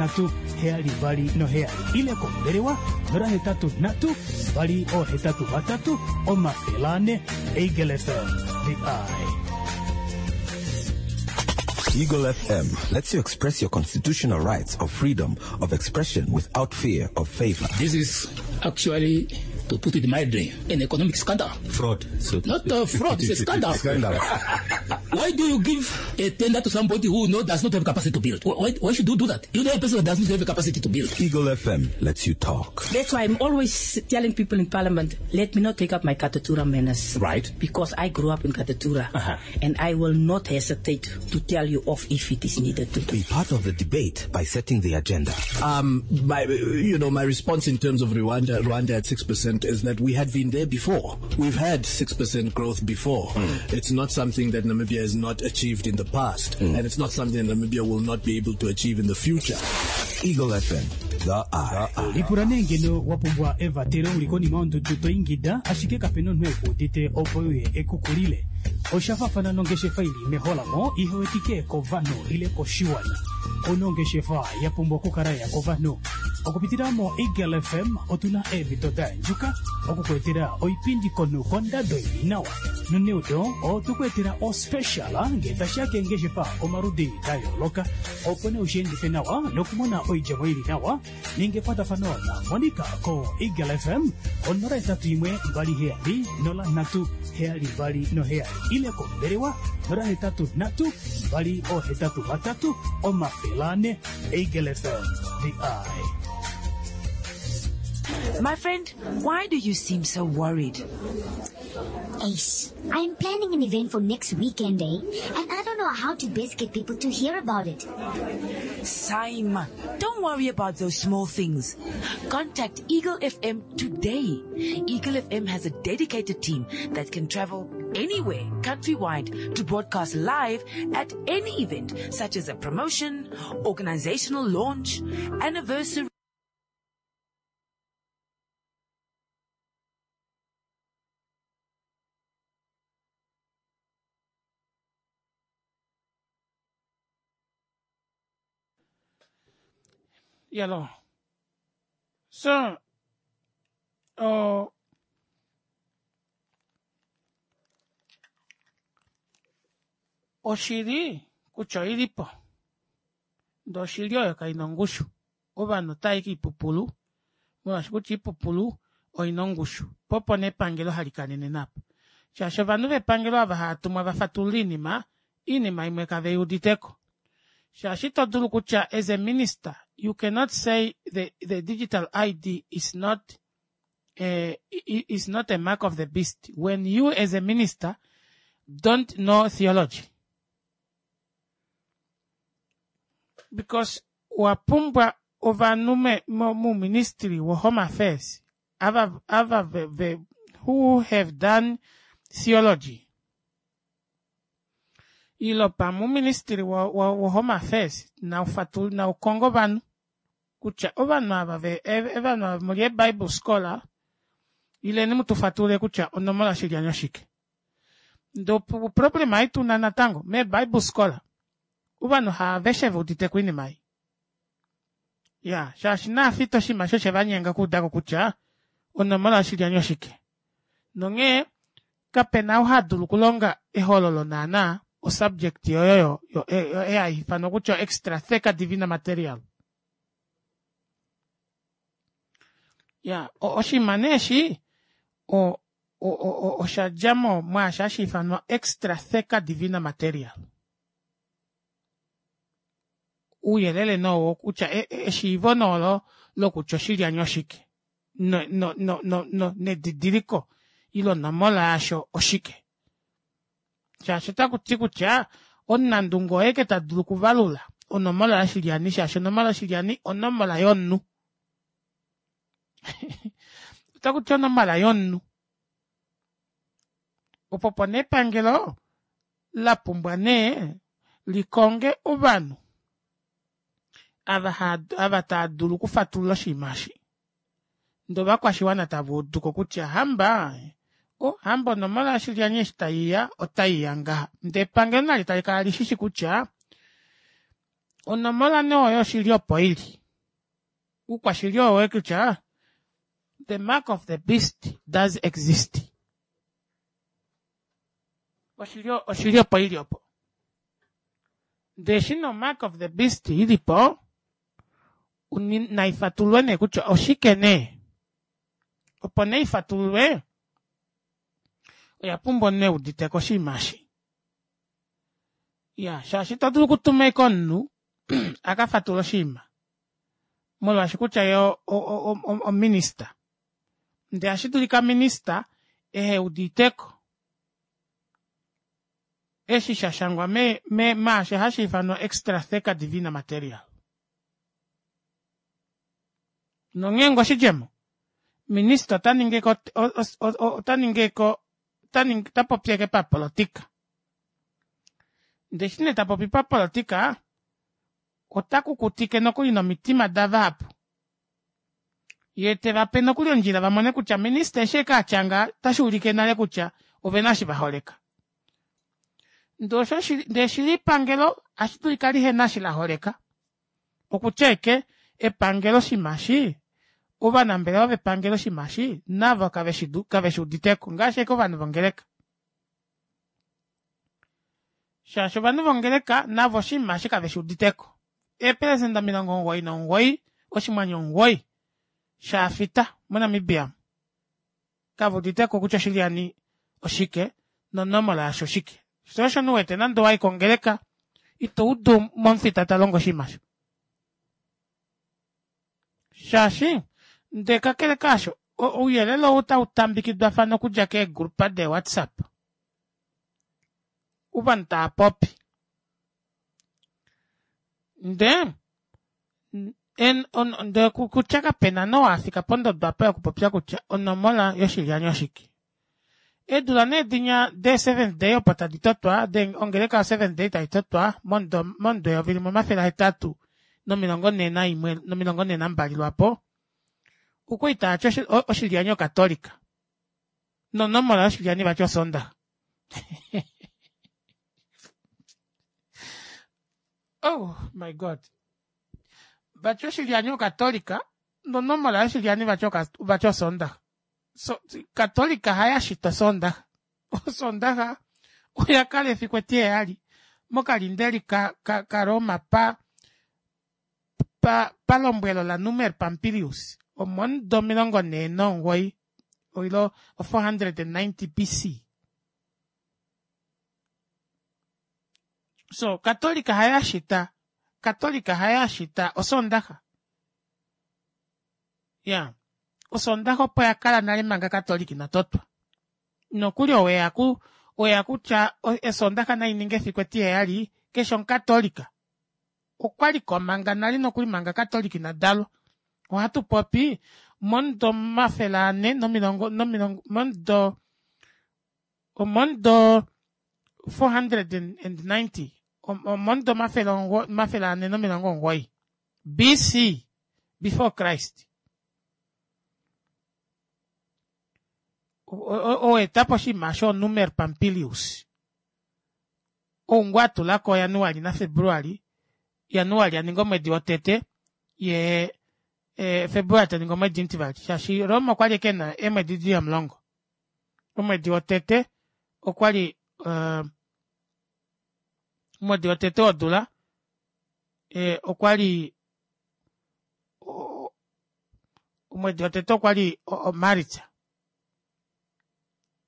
N: 03 72 ile kombelewa 083 283 400 Eagle FM the eye.
G: Eagle FM lets you express your constitutional rights of freedom of expression without fear of favor.
H: This is actually, to put it mildly, an economic scandal.
G: Fraud. So
H: Not a fraud, it's a scandal.
G: Scandal.
H: Why do you give a tender to somebody who no, does not have capacity to build? Why should you do that? You know a person that does not have the capacity to build.
G: Eagle FM lets you talk.
J: That's why I'm always telling people in Parliament, let me not take up my Katutura manners.
H: Right.
J: Because I grew up in Katutura. And I will not hesitate to tell you off if it is needed to.
G: Be part of the debate by setting the agenda.
I: My, you know, my response in terms of Rwanda, Rwanda at 6% is that we had been there before. We've had 6% growth before. It's not something that Namibia has not achieved in the past. And it's not something that Namibia will not be able to achieve in the future.
G: Eagle FM, the eye.
N: Lipula nee ngeno wa pumbwa evatelo uli konima yondudu to ingida ashike kape na omunhu e ku udite opo uye e ku kulile. Osha faafana nongeshefa ili meholamo ihe wetike kovanhu ile koshiwana. Ouna ongeshefa ya pumbwa okukala ya kovanhu. Okupitila mo Eagle FM otuna eemhito da yandjuka oku ku etela oipindi komunhu kondado ili nawa. Noneudo otu ku etela ospecial ngee tashiya keengeshefa omaludi da yooloka opo nee ushiendife nawa nokumona oidjemo ili nawa. Ninga ekwatafano na Monica ko Eagle FM ko 081 27 03 72 ile kombelewa 083 283 400. Eagle FM, the eye.
K: My friend, why do you seem so worried?
L: Ace, I'm planning an event for next weekend, eh? And I don't know how to best get people to hear about it.
K: Saima, don't worry about those small things. Contact Eagle FM today. Eagle FM has a dedicated team that can travel anywhere countrywide to broadcast live at any event, such as a promotion, organizational launch, anniversary.
A: Yalo. So, oh, oshili kutya oili po ndee oshili oyo kai na ongushu ovanhu otava i koipupulu molwaashi kutya oipupulu oi na ongushu po opo nee epangelo hali kanene naapo shaashi ovanhu vepangelo ava hava tumwa va fatulule oinima oinima imwe kave i uditeko shaashi ito dulu kutya as a minister you cannot say the, the digital ID is not a, is not a mark of the beast when you as a minister don't know theology because owa pumbwa ovanhu muuministry wo home affairs ava ava ve, ve, who have done theology ilo pamwe uuministili wo, wo, wo home affairs naufatul naukongo ovanhu. Kutya ovanhu ava ve ovanhu ava muli eebible scholar ileni mutufatulule kutya onomola yoshilyani oshike. Ndee oproblema ei tuna natango meebible scholar ovanhu haaveshe veuditeko oinima ei. Ya shaashi naafita oshinima eshi oshevanyenga okuudako kutya onomola yoshilyani oshike. Nonghee kapena ou hadulu okulonga ehololo naana osubject oyo yo ei haiifanwa kutya extra theca divina material. Ya oshinima nee eshi o osha dja mo mwaashi hashi ifanwa extra theca divina material. Ouyelele nee owo kutya eshiivo nee olo lokutya oshilyani oshike no no no no nedidiliko ile onomola yasho oshike. Shaashi otaku ti kutya omunandunge oye ke ta dulu okuvalula onomola yoshilyani shaashi onomola yoshilyani onomola yomunhu. Otaku ti onomola yomunhu. Opo po nee epangelo la pumbwa nee likonge ovanhu ava ava tava dulu okufatulula oshinima eshi. Ndee ovakwashiwana tava uduko kutya hamba oh hamba onomola yoshilyani eshi taiya otaiya ngaha. Ndee epangelo nali tali kala lishishi kutya onomola nee oyo oshili opo ili. Oukwashili owo kutya the mark of the beast does exist. Oshili oshili opo ili opo. Ndee eshi no mark of the beast ilipo naifatululwe nee kutya oshike nee. Opo nee ifatululwe oya pumbwa omunhu euditeko oshinima eshi. Ya shaashi ito dulu okutuma ashike omunhu a ka fatulule oshinima molwaashi kutya ye ominista. Ndee ohashi dulika minista ehe uditeko eshi sha shangwa me, me, maasho hashi ifanwa extra theca divina material. Nonghee ngo oshidjemo, minista ota ningi eke ota ningi eke ota popi eke papolotika. Ndee eshi nee ta popi papolotika, ota kukutike nokuli nomitima davahapu. Yee teva pe nokuli ondjila va mone kutya minista eshi eke atya ngaha otashi ulike nale kutya ovena eshi va holeka. Ndee osho ndee shili epangelo ohashi dulika lihena eshi la holeka. Okutya ashike epangelo oshinima eshi, ovanambelewa vepangelo oshinima eshi navo kaveshi uditeko ngaashi ashike ovanhu vongeleka. Shaashi ovanhu vongeleka navo oshinima eshi kaveshi uditeko. Eepelesenda 99 oshinghwanyu omugoyi shaafita moNamibia kave uditeko kutya oshilyani oshike nonomola yasho oshike. Sho osho omunhu wete nande owayi kongeleka ito udu momufita ta longo oshinima osho. Shaashi ndee kakele kaasho ouyelele ou otau tambikidwafana okudja keegrupa deeWhatsApp ovanhu tava popi. Ndee en, on, ndee kutya kapena nee oo afika pondodo apa yokupopya kutya onomola yoshilyani oshike. Eedula nee dinya dee Seventh Day opo tadi totwa, de ongeleka yo Seventh Day tai totwa momudo momudo 1841 nomilongo nhee nambali lwaapo, okwali taati oshilyani okatolika nonomola yoshilyani vati Osoondaxa. Oh my God. Vati oshilyani okatolika nonomola yoshilyani vati vati Osoondaxa. So, Katolika haya shita Osoondaxa. Osoondaxa oya kala efiku etiheyali mokalindeli ka, ka, ka Roma pa, pa, palombwelo laNumer Pampilius omomudo 49 oilo 490 BC. So, Katolika haya shita, Katolika haya shita Osoondaxa. Ya, Osoondaxa opo ya kala nale manga Katolika ina totwa. Nokuli oweya ku, oya kutya Osoondaxa nai ninge efiku etiheyali, keshe Omukatolika okwa li ko manga nale nokuli manga Katolika ina dalwa. Ohatu popi momudo 400 nomilongo, nomilongo, momudo, omomudo 490, omomudo 490 BC. Before Christ. Oweeta po oshinima shoonumer Pampilius. Ou ngoo a tula ko Januali naFebruali, Januali a ninga omwedi wotete, ye e, Februali ta ningi omwedi omutivali, shaashi Roma okwa li ke na eemwedi di li omulongo. Omwedi wotete okwa li uh, omwedi wotete wodula e, okwa li omwedi wotete okwa li oMaritsa.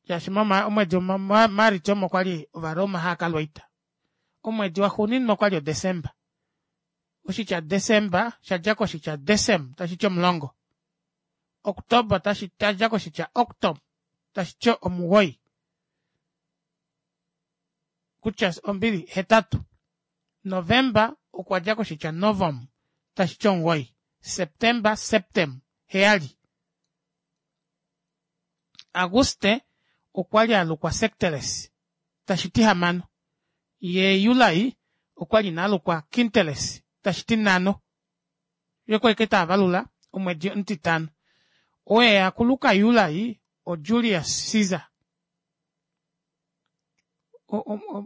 A: Shaashi omwedi Maritsa omo kwa li Ovaroma hava ka lwa oita. Omwedi waxuuninwa okwa li oDesemba. Oshitya Desemba sha dja koshitya decem tashi ti omulongo. Oktoba tashi dja koshitya octom tashi ti omuwoi. Kutya ombili hetatu. Novemba okwa dja koshitya novum tashi ti omuwoi. Septemba septem heyali. Aguste okwa li a lukwa Secteles, tashi ti hamano. Ye Julai okwa li ina lukwa Quinteles, tashi ti nhano. Ye okwa li taa valula omwedi omutitano. Oye a kuluka Julai oJulius Caesar.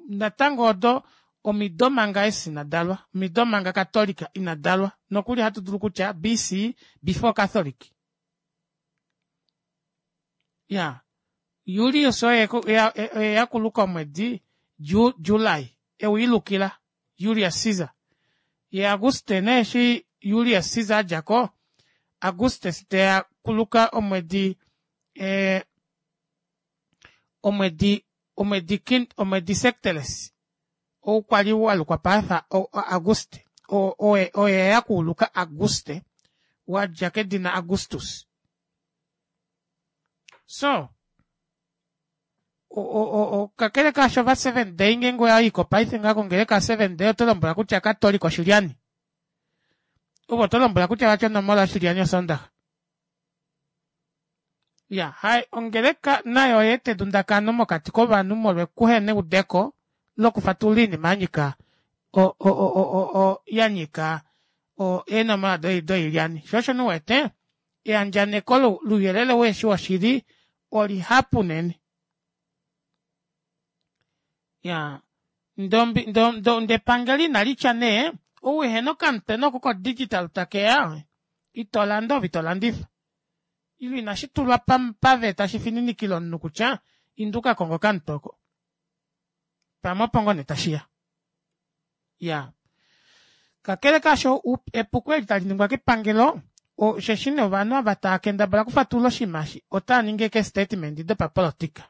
A: Natango odo omido manga Jesus ina dalwa, omido manga Katolika ina dalwa. Nokuli hatu dulu kutya BC, before Catholic. Ya, Julius oye oye ya kuluka omwedi Ju, July, e u ilukila Julius Caesar. Ye Auguste nee eshi Julius Caesar a dja ko, Augustus te ya kuluka omwedi eh, omwedi omwedi Quint, omwedi Secteles ou kwa li wa lukwa paife Auguste, oye ya kuuluka Auguste, wa dja kedina Augustus. So, kakele kaasho va Seventh Day ngeenge oya iko paife ngaa kongeleka ya Seventh Day oto lombwela kutya Katolika oshilyani. Ove oto lombwela kutya vati onomola yoshilyani Osondaxa. Ya, hai ongeleka nayo oya eta edundakano mokati kovanhu molwekuhena eudeko lokufatulula iinima ya nyika o, o, o, o, o, o, ya nyika o, eenomola doilyani. Sho osho nu wete, eandjaneko louyelele weeshi woshili olihapu unene. Ya, ndombi, ndo, ndo, ndepangelo inali tya nee, ou ehena okamutena oko kodigital takeya, ito landa ove ito landifa. Ile inashi tulwa paveta shi fininikile omunhu kutya inda u ka konge okamutwe oko. Pamwe opo ngoo nee tashi ya. Ya. Kakele kaasho, epuko eli tali ningwa kepangelo, osheshi nee ovanhu ava tava kendabala okufatulula oshinima eshi otava ningi ashike eestatement dopapolotika.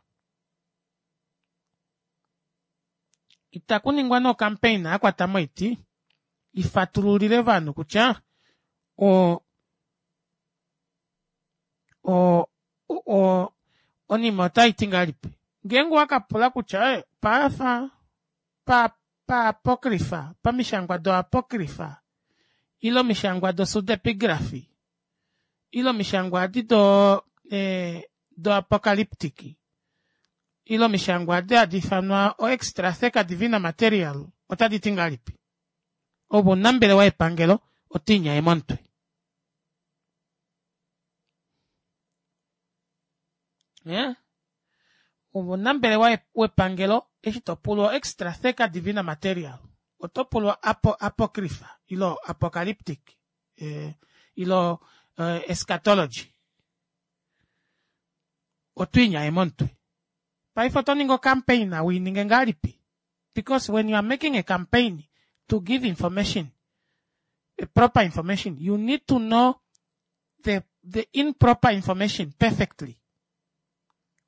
A: Itaku ningwa nee okampeina ya kwata moiti i fatululile ovanhu kutya o o o onima otai ti ngahelipi. Ngeenge owa ka pula kutya eh, paafa pa paapokrifa, pamishangwa doapokrifa ile omishangwa dopseudepigrafi ile omishangwa adi do eh, doapocalyptic ile omishangwa adi hadi ifanwa oextratheca divina material otadi ti ngahelipi? Ove omunambelewa yepangelo oto inyaye momutwe. Eh? Ove omunambelewa wepangelo eshi to pulwa extratheca divina material oto pulwa apo, apocrypha ile apocalyptic eh, ilo eh, eschatology oto inyaye momutwe paife oto ningi ocampaign wi ninge ngahelipi because when you are making a campaign to give information a proper information you need to know the, the improper information perfectly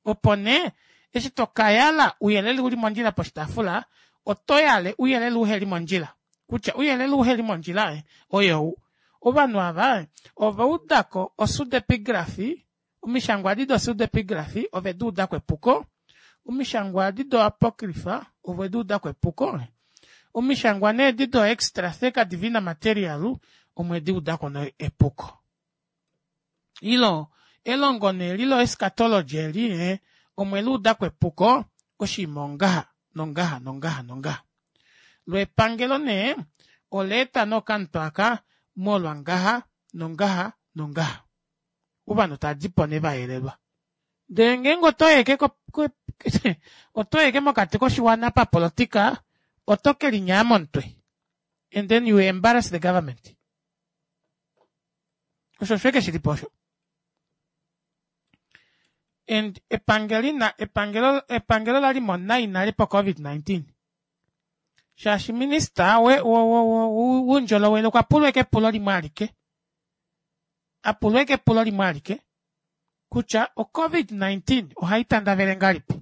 A: Opo nee, eshi to ka yala ouyelele u li mondjila poshitaafula, oto yale ouyelele uhe li mondjila. Kutya ouyelele uhe li mondjila oyou. Ovanhu ava ova uda ko osudepigrafi, omishangwa adi dosudepigrafi ove di uda ko epuko, omishangwa adi doapokrifa ove di uda ko epuko, omishangwa nee edi doextratheca divina material omwe di uda ko epuko. Ilo, elongo nee li loeschatology eli, eh, omwe li uda ko epuko, oshinima ongaha, nongaha, nongaha, nongaha. Lo epangelo nee, ola eta nee okamutwe aka, molwa ngaha, nongaha nongaha. Ovanhu tava dipo nee vayelelwa. Ndee ngeenge oto yeke oto yeke mokati koshiwana papolitika oto kelinyaya momutwe and then you embarrass the government. Osho osho ashike shilipo osho. And epangelo ina epangelo epangelo lali mo nai nale po covid 19 shaashi minista woundjolowele okwa pulwa eke epulo limwe alike apulwa eke epulo limwe alike kutya o covid 19 ohai tandavele ngahelipi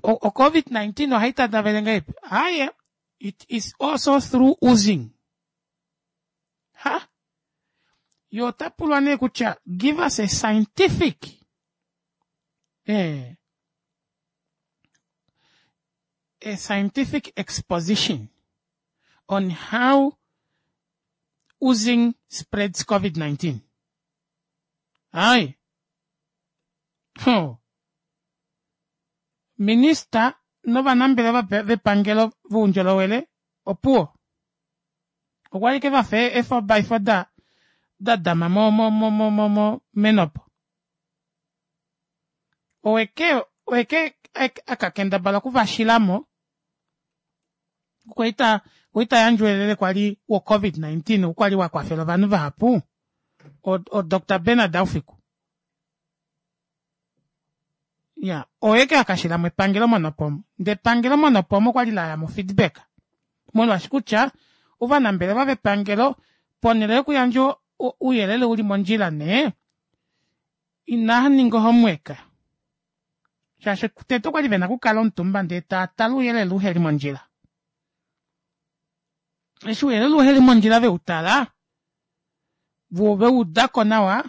A: o covid 19 ohai tandavele ngahelipi aye it is also through oozing ha yo ota pulwa nee kutya give us a scientific eh, a scientific exposition on how oozing spreads COVID-19. Ai. Huh. Minista novanambelewa vepangelo voundjolowele opuwo. Okwa li ke va fe e 4 by 4 da da dama mo mo mo mo mo mo menopo. Oweke oweke akakendabala okuvashila mo okwa ta okwa ta yandja ouyelele kwali wo COVID-19 okwali wa kwafela ovanhu vahapu o Dr Bernard Aufiku. Ya, oye akashila mo epangelo monopomo. Ndee epangelo monopomo okwali la ya mo feedback. Molwaashi kutya ovanambelewa vepangelo ponhele yokuyandja ouyelele uli mondjila nee inaa ninga homework. Shaashi tete okwali vena okukala omutumba ndee taa tale ouyelele uheli mondjila. Eshi ouyelele uheli mondjila veutala, vo veudako nawa,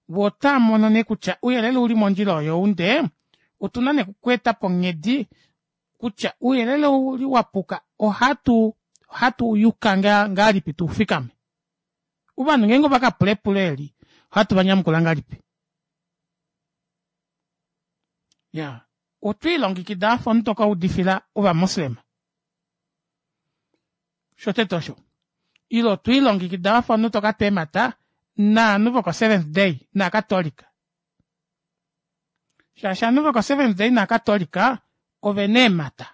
A: vo otaa mono nee kutya ouyelele uli mondjila oyou ndee otuna nee okweeta po onghedi kutya ouyelele ouli wapuka ohatu ohatu yuka ngahelipi tuufikame. Ovanhu ngeenge ovakapula epulo eli ohatu vanyamukula ngahelipi. Ya, otwiilongekida wafa omunhu tokaudifila ovamoslema. Shotete osho. Ile otwiilongekida wafa omunhu tokatwa eemhata naanhu voko seventh day naakatolika. Shaashi ovanhu voko seventh day naakatolika ovena eemhata.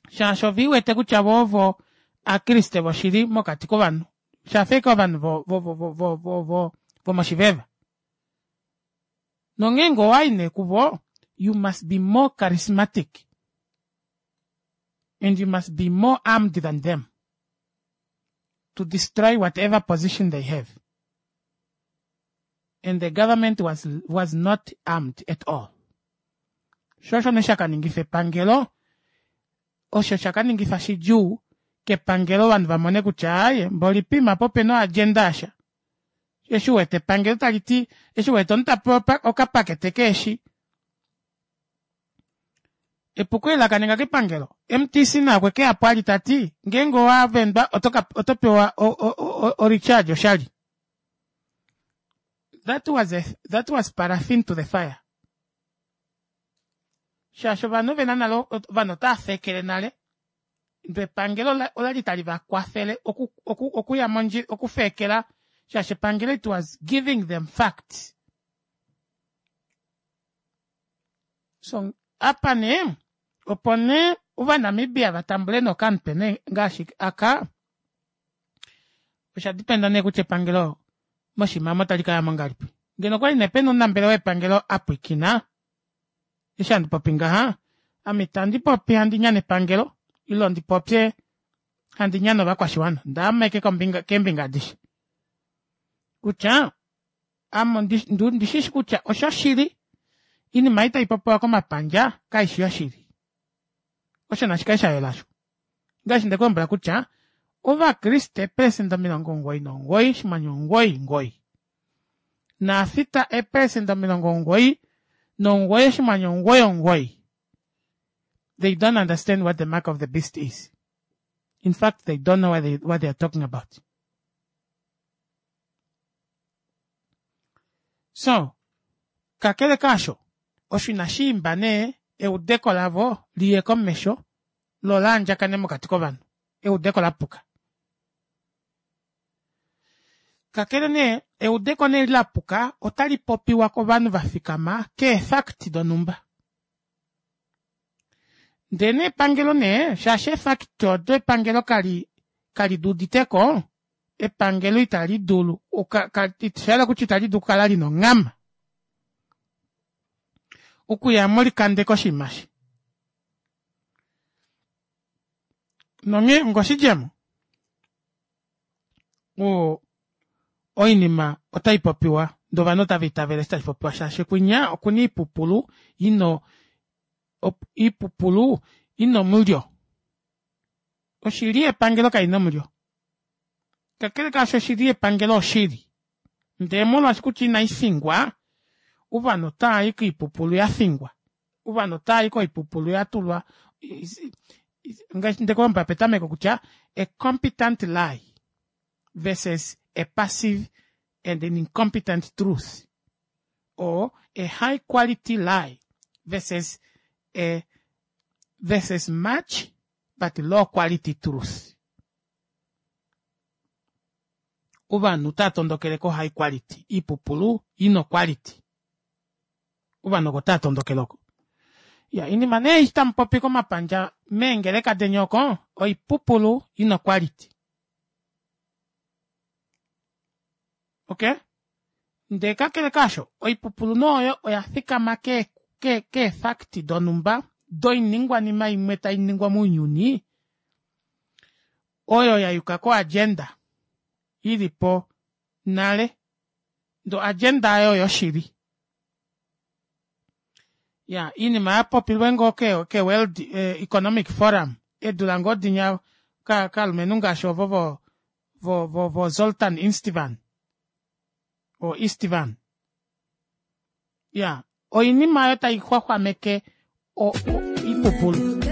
A: Shaashi oveiwete kutya vo ovo aakriste voshili mokati kovanhu. Shafa ashike ovanhu vo vo vo vo vo vo vomoshiveva. Nongeenge owayi nee kuvo, you must be more charismatic and you must be more armed than them to destroy whatever position they have. And the government was, was not armed at all. Sho osho nee shakaningifa epangelo, osho shakaningifa shidjuu kepangelo ovanhu vamone kutya aaye mboli pima po opena oagenda yasha. Eshi uwete epangelo tali ti, eshi uwete omunhu tapewa okapakete keeshi, epuko eli lakaninga kepangelo. MTC naye okwe keyapo ali tati ngeenge owa vendwa oto pewa o recharge oshali. That was a, that was paraffin to the fire. Shaashi ovanhu vena nale, ovanhu otava fekele nale. Ndele epangelo olali tali va kwafele oku, oku, okuya mondjila, okufekela, shaashi epangelo it was giving them facts. So, apa nee, opo nee Ovanamibia va tambule nokamutwe nee ngaashi aka, osha dipenda nee kutya epangelo moshimamo otali ka yamo ngahelipi. Ngeno okwali nee pena omunambelewa wepangelo a pwiikina, eshi handi popi ngaha, ame itandi popi handi nyane epangelo, ile ndi popye handi nyane ovakwashiwana. Ndaama eke kombinga, keembinga adishe. Kutya, ame ondishishi kutya oshoshili, inima ei tai popiwa komapandja kaishi yoshili. Osho nashi kale sha yela osho. Ngaashi nde ku lombwela kutya Ovakriste eepelesenda 99 oshinghwanyu 99 naafita eepelesenda 99 oshinghwanyu 99 they don't understand what the mark of the beast is. In fact, they don't know what they, what they are talking about. So, kakele kaasho, osho inashi imba nee eudeko lavo li ye komesho. Lo laandjakane mokati kovanhu. Eudeko lapuka. Kakele nee, eudeko nee lapuka otali popiwa kovanhu va fikama keefakti donhumba. Ndee nee epangelo nee, shaashi eefakti odo epangelo kali kali di uditeko, epangelo itali dulu, osha yela kutya itali dulu okukala lina onghama okuyamo likandeke oshinima eshi. Nonghee ongoshidjemo, o oinima otai popiwa ndee ovanhu otava itavele eshi tashi popiwa shaashi kwinya okuna oipupulu ina oipupulu ina omulyo. Oshili yepangelo kaina omulyo. Kakele kaasho oshili yepangelo oshili. Ndee molwaashi kutya inai fingwa, ovanhu otava i koipupulu ya fingwa. Ovanhu otava i koipupulu ya tulwa ngaashi ndekulombwela petameko kutya a competent lie versus a passive and an incompetent truth or a high quality lie versus a versus much but low quality truth. Ovanhu otava tondokele ko high quality, iipupulu ina oquality. Ovanhu oko otava tondokele oko. Ya, inima nee eshi tamu popi komapandja meengeleka deni oko, oipupulu ina oquality. Okay? Ndee kakele kaasho, oipupulu nee oyo oya fikama ke, ke, keefakti donhumba doiningwanima imwe tai ningwa mounyuni oyo ya yuka koagenda i li po nale. Ndee oagenda oyo oyoshili. Ya, oinima ya popilwe ngoo ke, ke World eh, Economic Forum eedula ngoo dinya ka, kalumenhu ngaashi ovo vo, vo, vo, vo Zoltan Istvan o Istvan. Ya, oinima oyo tai xwaxwameke o, o, oipupulu.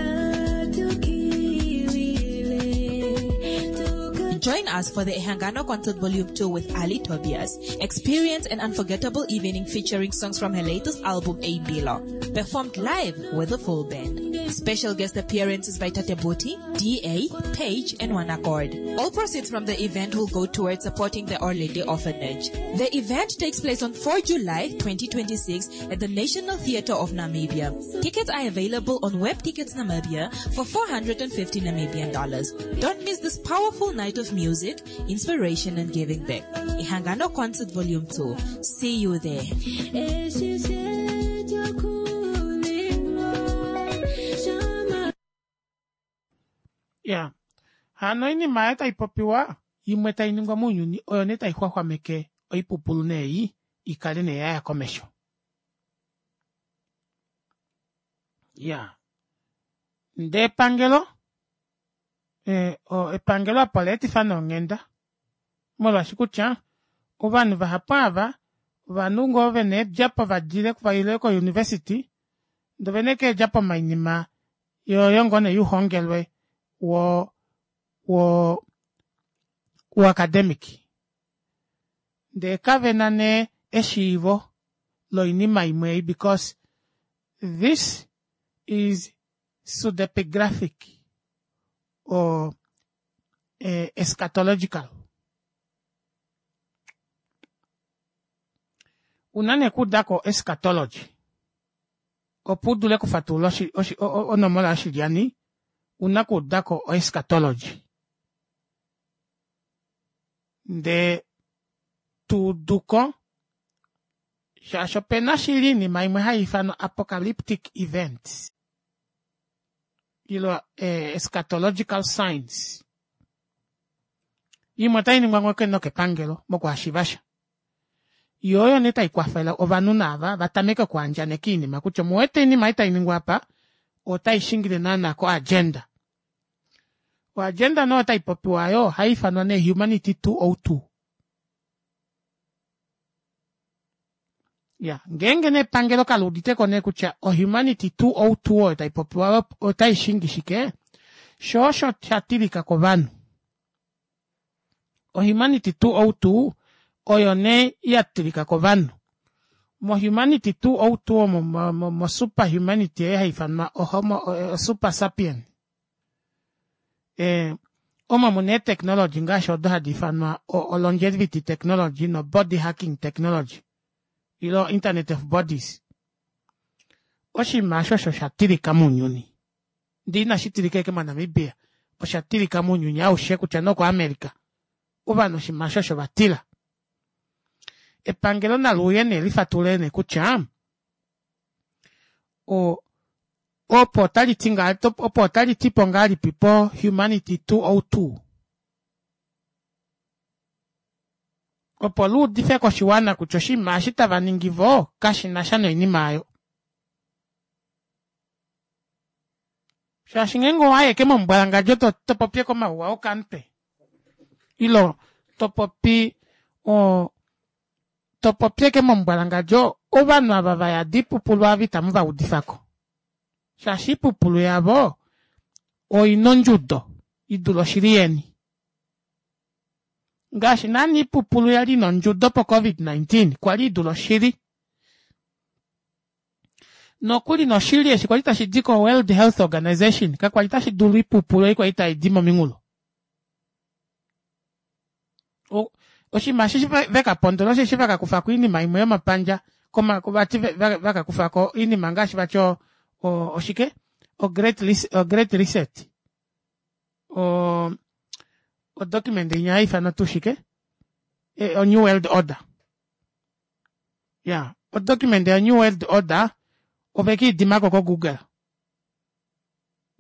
O: Join us for the Ehangano Concert Volume 2 with Ali Tobias. Experience an unforgettable evening featuring songs from her latest album, A Bilo, performed live with a full band. Special guest appearances by Tate Boti, DA, Page, and One Accord. All proceeds from the event will go towards supporting the Our Lady Orphanage. The event takes place on 4 July 2026 at the National Theatre of Namibia. Tickets are available on Web Tickets Namibia for 450 Namibian dollars. Don't miss this powerful night of music, inspiration, and giving back. Ihangano Concert Volume 2. See you there.
A: Ya, hano oinima oyo tai popiwa imwe tai ningwa mounyuni oyo nee tai xwaxwameke oipupulu nee ei i kale nee ya ya komesho. Ya, ndee epangelo eh, epangelo apa ola etifa nee onghenda molwaashi kutya ovanhu vahapu ava ovanhu ngoo vena eedjapo vadile vaile kouniversity ndee ovena ashike eedjapo moinima yoyo ngoo nee youhongelwe wo wo wo-academic ndee kavena nee eshiivo loinima imwe ei because this is pseudepigraphic or eh, eschatological. Una nee okuudako eschatology opo u dule okufatulula onomola yoshilyani una okuudako oeschatology. Ndee tuuduko shaashi opena shili oinima imwe hai ifanwa apocalyptic events ilo eh, eschatological signs imwe otai ningwa ngoo nokepangelo mokuhashiva sha yo oyo nee tai kwafele ovanhu naava va tameke okuandjaneka oinima kutya omuwete oinima ei tai ningwa apa otai shingile naana koagenda. Oagenda nee otai popiwa oyo ohai ifanwa nee Humanity 202. Ya, ngeenge nee epangelo kali udite ko nee kutya oHumanity 202 oyo tai popiwa otai shingi shike, sho osho sha tilika kovanhu. OHumanity 202 oyo nee ya tilika kovanhu. MoHumanity 202 omo mo, mo, mo superhumanity ei hai ifanwa oHomo, o, o super sapien. Eh, omo muna eetechnology ngaashi odo hadi ifanwa o longevity technology no body hacking technology ilo internet of bodies. Oshinima osho osho sha tilika mounyuni. Ndee inashi tilika ashike moNamibia, osha tilika mounyuni aushe kutya nee okoAmerica. Ovanhu oshinima osho osho vatila. Epangelo nali uye nee lifatulule nee kutya o opo otali ti ngaa opo otali tipo ngahelipi po humanity 202 opo luudife koshiwana kutya oshinima eshi tava ningi vo kashi na sha noinima aayo. Shaashi ngeenge owa yeke momumbwalangandjo to, to popi eke omauwa okamutwe ilo to popi o to popi eke momumbwalangandjo ovanhu ava va yada oipupulu ava itamu va udifako shaashi oipupulu yavo oina ondjudo idule oshili yeni. Ngaashi naana oipupulu yali ina ondjudo po COVID-19 kwali idule oshili. Nokuli noshili eshi kwali tashi di ko World Health Organization kakwali tashi dulu oipupulu ei kwali tai di mominghulo. Oshinima eshi veka pondola osheshi vaka kufako oinima imwe yomapandja koma vati vaka kufako oinima ngaashi vati o, o oshike o great, o great reset o o document inya haifanwa tuu shike e, o new world order ya o document ya new world order ove kiidimako ko google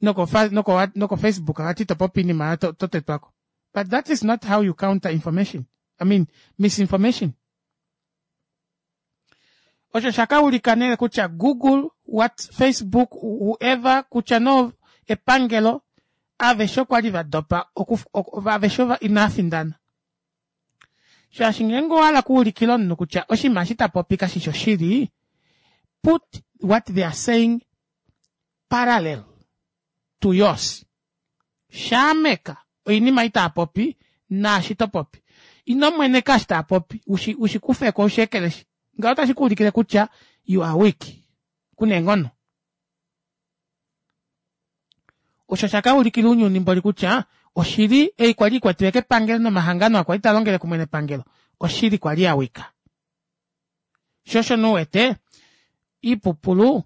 A: noko noko noko facebook vati to popi iinima to, to tetwako but that is not how you counter information i mean misinformation osho shaka ulika nee kutya google what facebook whoever kutya no epangelo aveshe okwa li va dopa aveshe inaa findana Shaashi ngeenge owa hala okuulikila omunhu kutya oshinima eshi ta popi kashi shi oshili, put what they are saying parallel to yours. Shaameka oinima ei taa popi naashi to popi. Ino mweneka eshi taa popi, ushi, ushi kufe ko ushi ekeleshi. Ngaho otashi ku ulikile kutya you are weak. Ku na eenghono. Osho osha ka ulikila ounyuni mboli kutya oshili ei kwali ikwatiwe kepangelo nomahangano a kwali ta longele kumwe nepangelo oshili kwali ya wika. Sho osho nee uwete iipupulu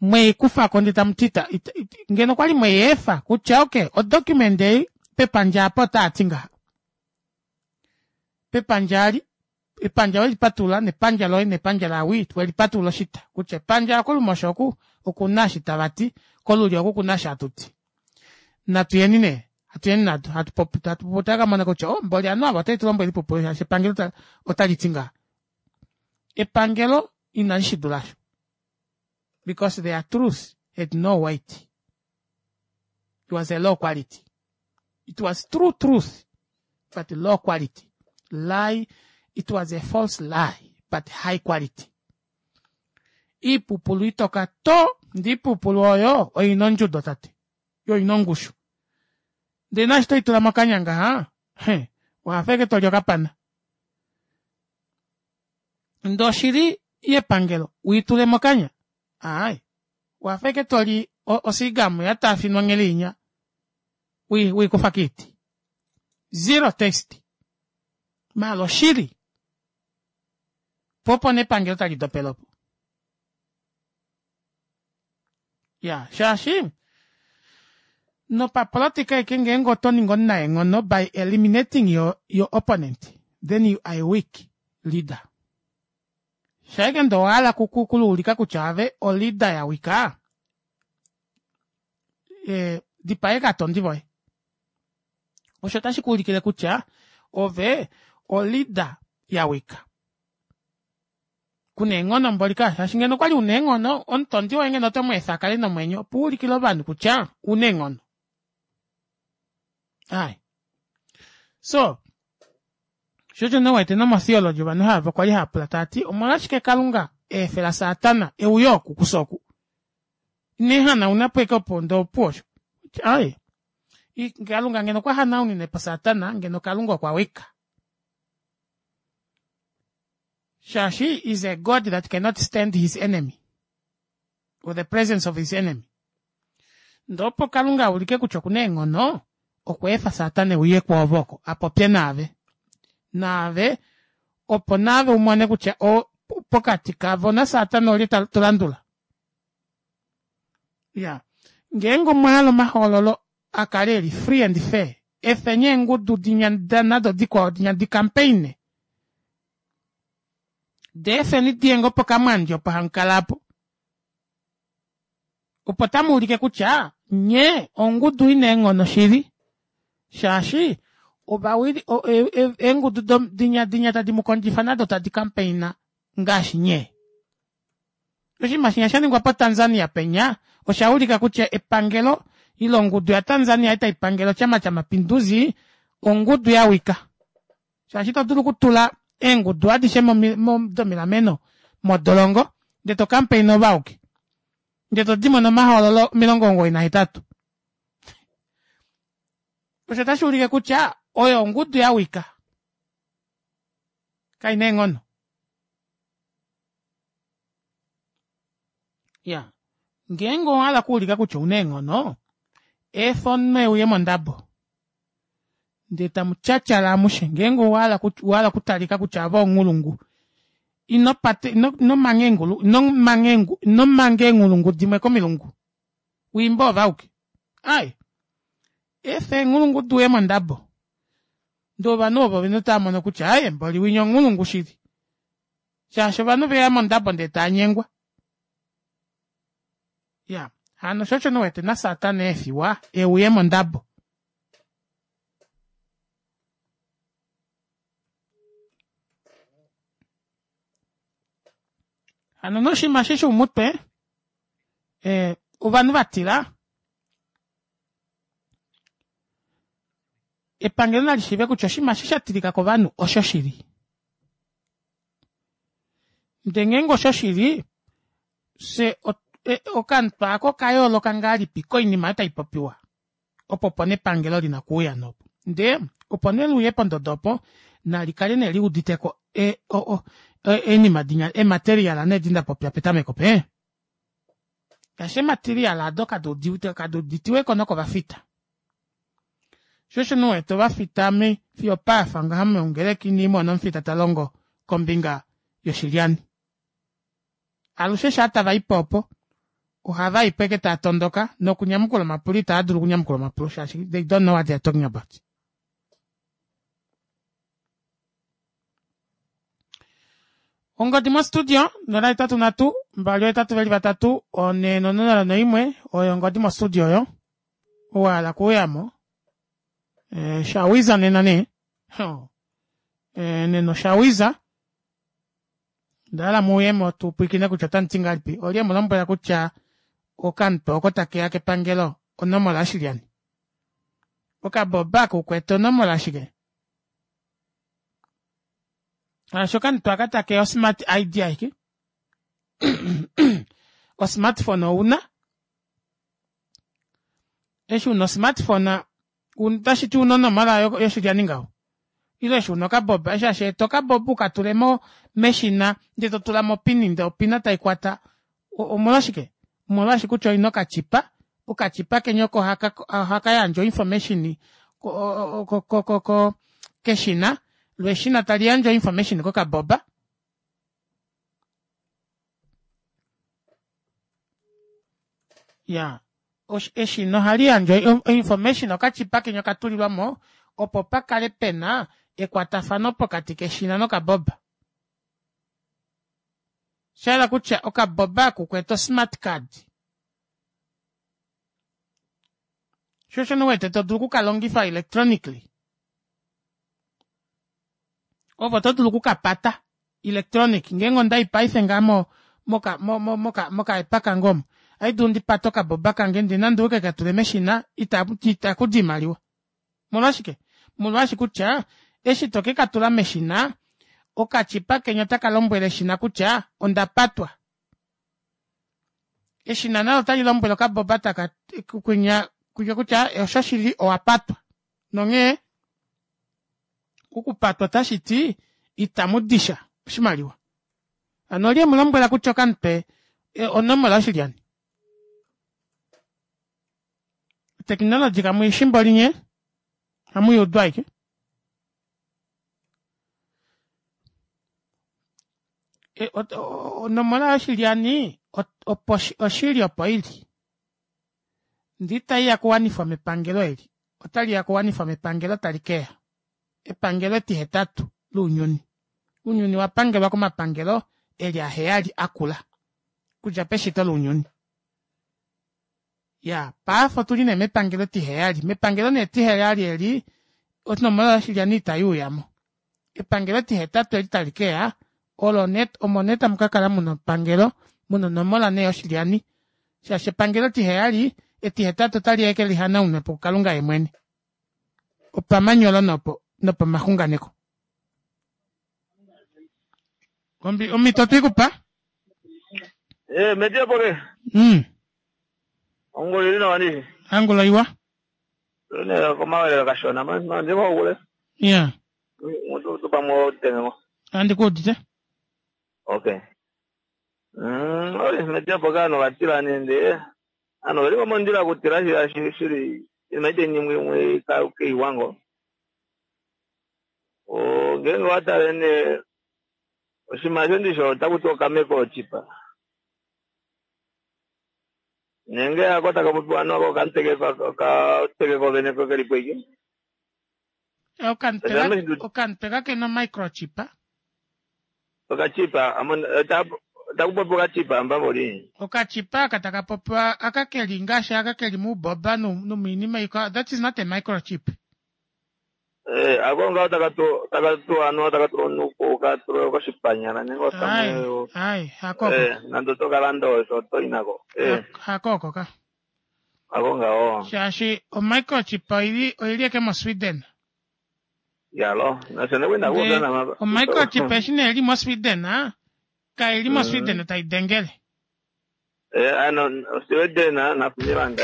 A: mwei kufako ndee tamu ti ita, ita, ngeno okwali mwei efa kutya ok odocument ei pepandja apa otaa ti ngaha pepandja ali epandja we li patulula nepandja loye nepandja lawi we li patulula oshita kutya epandja lokolumosho oku oku na eshi tava ti kolulyo oku ku na eshi hatu ti natu yeni nee hatu yeni nado hatu popi hatu popi otava ka mona kutya oh mboli ovanhu ava otave tu lombwele oipupulu shaashi epangelo otali ti ngaha epangelo inali shi dula sho because their truth had no weight it was a low quality It was true truth, but low quality. Lie, it was a false lie, but high quality. Iipupulu itoka to, ndee iipupulu oyo oina ondjudo tate, yo oina ongushu. Ndee naashi toyi tula mokanya ngaha, he, owafa ashike toli okapana. Ndee oshili yepangelo, wiitule mokanya, aaye, wafa ashike toli osigamu ya taafinwa onghele inya. Wikufa kiiti. Zero taste. Maala oshili. Po opo nepangelo tali dopele opo. Ya, shaashi nopapolotika eke ngeenge oto ningi omunaenghono by eliminating your, your opponent, then you are a weak leader. Shaike ndee owa hala kuluulika kutya ove o leader ya wika, e, dipaye katondi voye osho otashi ku ulikile kutya ove olida ya wika kuna eenghono mboli ka shaashi ngeno okwali una eenghono omutondi woye ngeno oto mu efa akale nomwenyo opo ulikile ovanhu kutya una eenghono ai so sho osho nee wete nomotheology ovanhu hava kwali hava pula tava ti omolwashike kalunga eefela satana euyo oku kufye oku Ine hanauna po eke opo ndee opuwo osho. Aaye. Kalunga ngeno okwa hanaunine po Satana, ngeno Kalunga okwa wika. Shaashi is a God that cannot stand his enemy. Or the presence of his enemy. Ndee opo Kalunga a ulike kutya okuna eenghono, Okweefa Satana e uye kwoove oko, a popye naave. Naave, opo naave u mone kutya o, pokati kavo naSatana olye ta, to landula. Ya. Ngeenge omwa hala omahoololo a kale e li free and fair, efeni eengudu dinya nado dikwao dinya di campaign. Deefeni diye ngoo pokamwandi opo hamu kala apo. Opo tamu ulike kutya nye ongudu ina eenghono shili shaashi ovawili eengudu dinya dinya tadi mu kondjifa nado tadi kampeina ngaashi nye. Oshinima shinya sha ningwa poTanzania penya osha ulika kutya epangelo ile ongudu yaTanzania ei tai pangele Chama cha Mapinduzi ongudu ya wika. Shaashi ito dulu okutula eengudu adishe domilameno modolongo ndee to campaign ove auke ndee to dimo nomahoololo 98. Osho otashi ulike kutya oyo ongudu ya wika kai na eenghono. Ya ngeenge owa hala okuulika kutya ouna eenghono efa omunhu euye mondabo ndee tamu tyatyala amushe ngeenge owa hala okutalika kutya ove onghulungu ino pate ino manga eengulu ino manga ino manga eenghulungu dimwe komilungu wiimbe ove auke ai efa eenghulungu duye mondabo ndee ovanhu ovo vene otava mono kutya aye mboli winya onghulungu shili shaashi ovanhu veya mondabo ndee tanyengwa ya hano sho osho niwete nasatana eefiwa euye mondabo Hano noshinima eshi shoumutwe eh, ovanhu va tila epangelo nali shiive kutya oshinima eshi sha tilika kovanhu osho shili ndee ngeenge osho shili fye okamutwe ako oka yooloka ngahelipi koinima oyo tai popiwa opo opo nepangelo lina okuuya nopo ndee opo ne liuye pondodo opo nali kale ne liuditeko e, o, o, oinima dinya ematerial nee di nda popya petameko pe ngaashi ematerial ado kadi uditiweko nokovafita sho osho nuwete ovafita me fiyo paafa ngaha meongeleki niimona omufita ta longo kombinga yoshilyani Alushe shaa tava i po opo, ohava i po eke taa tondoka nokunyamukula omapulo itava dulu okunyamukula omapulo shaashi they don't know what they are talking about. Ongodi mostudio 083 283 401 oyo ongodi mostudio oyo owa hala kuuyamo e, shawiza nena nee e, nena oshawiza Onda hala mu uye mo tu pwilikine kutya otamu ti ngahelipi. Olye mu lombwela kutya okamutwe oko take ya kepangelo onomola yoshilyani? Okaboba kukwete onomola yashike? Shaashi okamutwe aka take ya osmart ID aike. Osmartphone ouna. Eshi una osmartphone otashi ti una onomola yoshilyani ngaho ile eshi una okaboba eshi hashi eta okaboba uka tule mo meshina ndee to tula mo opini ndee opina tai kwata omolwashike omolwashi kutya oina okachipa okachipa kenya oko ohaka yandja oinformation keshina lo eshina tali yandje oinformation kokaboba ya eshina ohali yandje oinformation okachipa kenya okatulilwa mo opo pa kale pena ekwatafano pokati keshina nokaboba. Sha hala kutya okaboba aku kwete osmart card. Sho osho wete to dulu okukalongifa electronically. Ove oto dulu okukapata electronic ngeenge onda i paife ngaa mo moka mo mo moka mokaepa kange omo ohandi dulu ndi pate okaboba kange ndee nande uke ka tule meshina ita ita kudi iimaliwa molwashike molwashi kutya eshi to ke ka tula meshina okachipa kenya otaka lombwele eshina kutya onda patwa eshina nalo otali lombwele okaboba taka kwinya kwinya kutya oshoshili owa patwa nonghee okupatwa otashi ti itamu disha oshimaliwa. Hano olye mu lombwela kutya okamutwe e, onomola yoshilyani? Oteknologi kamu i shimbo linye? Hamu i udu aike. E, onomola yoshilyani opo oshili opo ili. Ndee itai ya kuwanifwa mepangelo eli. Otali ya kuwanifwa mepangelo tali keya. Epangelo etihetatu lounyuni. Ounyuni wa pangelwa komapangelo eli aheyali akula. Kudja peshito lounyuni. Ya, paife otuli nee mepangelo etiheyali. Mepangelo nee etiheyali eli, onomola yoshilyani itai uyamo. Epangelo etihetatu eli tali keya, olo nee omo nee tamu ka kala muna epangelo, muna onomola nee yoshilyani. Shaashi epangelo etiheyali, etihetatu otali ya eke lihanaunwe po kuKalunga ye mwene. Opamanyolo nopo nopamaxunganeko. Ombi omhito twikupa?
P: Eh, metia pole. Ongolo ili nawa ni.
A: Angulo iwa.
P: Ne komawelelo kashona man man ndimo kule.
A: Yeah.
P: Mutu tu pamwe tengo.
A: Andi kuudite.
P: Okay. Ori metia poka no vatila nende. Ano vali komondila kutila shila shili imaite nyimwe imwe ka keiwango. O ngenge watale ne oshimasho ndisho otakuti okameko ochipa. Nenge ako takapopiwa nako okanteke kovene keli pweke.
A: Okamutwe kakena microchip.
P: Okachipa takupopiwa okachipa ambavoli.
A: Okachipa aka taka popiwa aka keli ngaashi aka keli muuboba nomiinima iikwawo. That is not a microchip.
P: Eh, ako ngaho takatu ano takatula onuku katula koshipanyala nenge osamwe.
A: Ai, hakoko.
P: Eh, nando tokalanda osho otoinako. Eh,
A: Hakoko ka.
P: ako ngaho.
A: Shaashi omicrochip oili oili eke moSweden.
P: Yalo, nasho kwenda kuona mapa.
A: Omicrochip eshi nee ili moSweden, ah, kaili moSweden tai dengele.
P: Eh, ano Sweden na Finland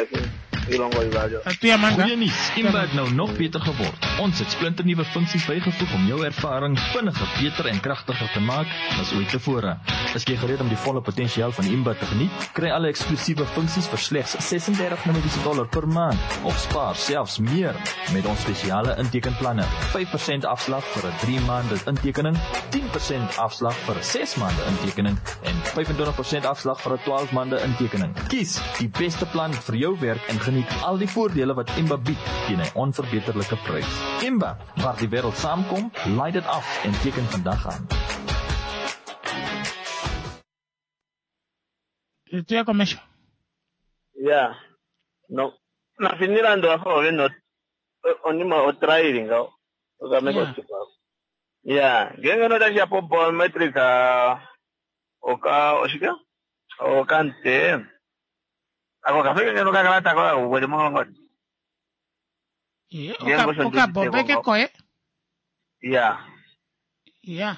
P: ilongo ivali.
C: Goeie nuus, Imba het nou nog beter geword. Ons het splinternuwe funksies bygevoeg om jou ervaring vinniger, beter en kragtiger te maak as ooit tevore. Is jy gereed om die volle potensiaal van Imba te geniet? Kry alle eksklusiewe funksies vir slegs 36 Namibiese dollar per maand of spaar selfs meer met ons spesiale intekenplanne. 5% afslag vir 'n 3 maande intekening, 10% afslag vir 'n 6 maande intekening en 25% afslag vir 'n 12 maande intekening. Kies die beste plan vir jou werk en geniet al die voordele wat Imba bied teen 'n onverbeterlike prys. Imba, waar die wêreld saamkom, laai dit af en teken vandag aan.
A: Tuya komesho.
P: Yeah. No. Na Finland wafo veno onima otraili ngaho. Okameko chipa. Yeah, ngenge no tashi apo biometric oka oshike? Okante. Ako kafike ngeno kakalata ko kweli molongo.
A: Okabobeke koye.
P: Yeah.
A: Yeah.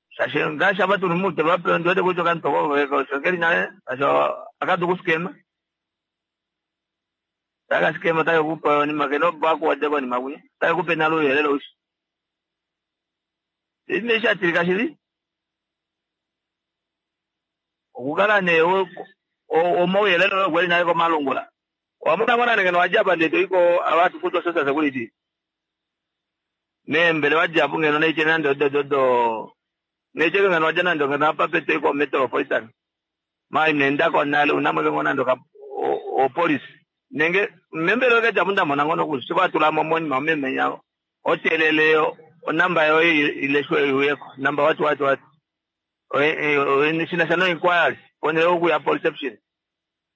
P: Shashi ngashi abatu nimute vape ndiwete kucho kantoko ko shokeli naye asho akadu kuskema. Taka skema tayo kupa ni makeno bako wajako ni makuya. Tayo kupe nalo yelelo ushi. Ine shatirika shili. Okukala ne omauyelele kweli naye komalungula. Wamuna mwana ngeno wajaba ndeto iko abantu kutwa social security. Nembele wajabu ngeno neiche nando dodo. Neiche ngeno waja nando ngeno apa pete iko metropolitan. Mai nenda ko nale unamwe ngona ndo ka o police. Nenge membele ke jabu ndamona ngono kusiba tula momoni mameme yao. Otelele onamba yo ileshwe iweko. Namba watu watu watu. National inquiry ponele okuya perception.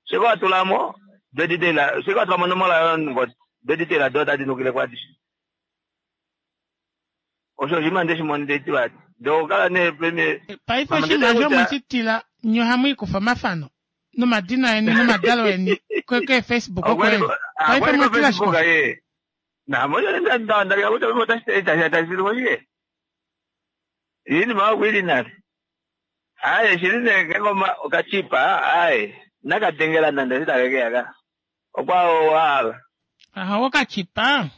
P: Seko atulamo beditela seko atulamo nomola yo ngoti beditela dota dinukile kwati. Osho shima ndeshimonde tibati. Ndokala ne premier
A: Paife oshinima osho mweshitila nye ohamu ikufa omafano nomadina eni nomadalo eni ke Facebook oko eli. Paife mwetila shike?
P: ye. Na moyo nda nda nda kuta mota tashi tashi hoye. Yini ma kwili nali. Aye shili ne ngoma okachipa aye nakatengela nanda sitakekeyaka. Okwa wa.
A: Aha okachipa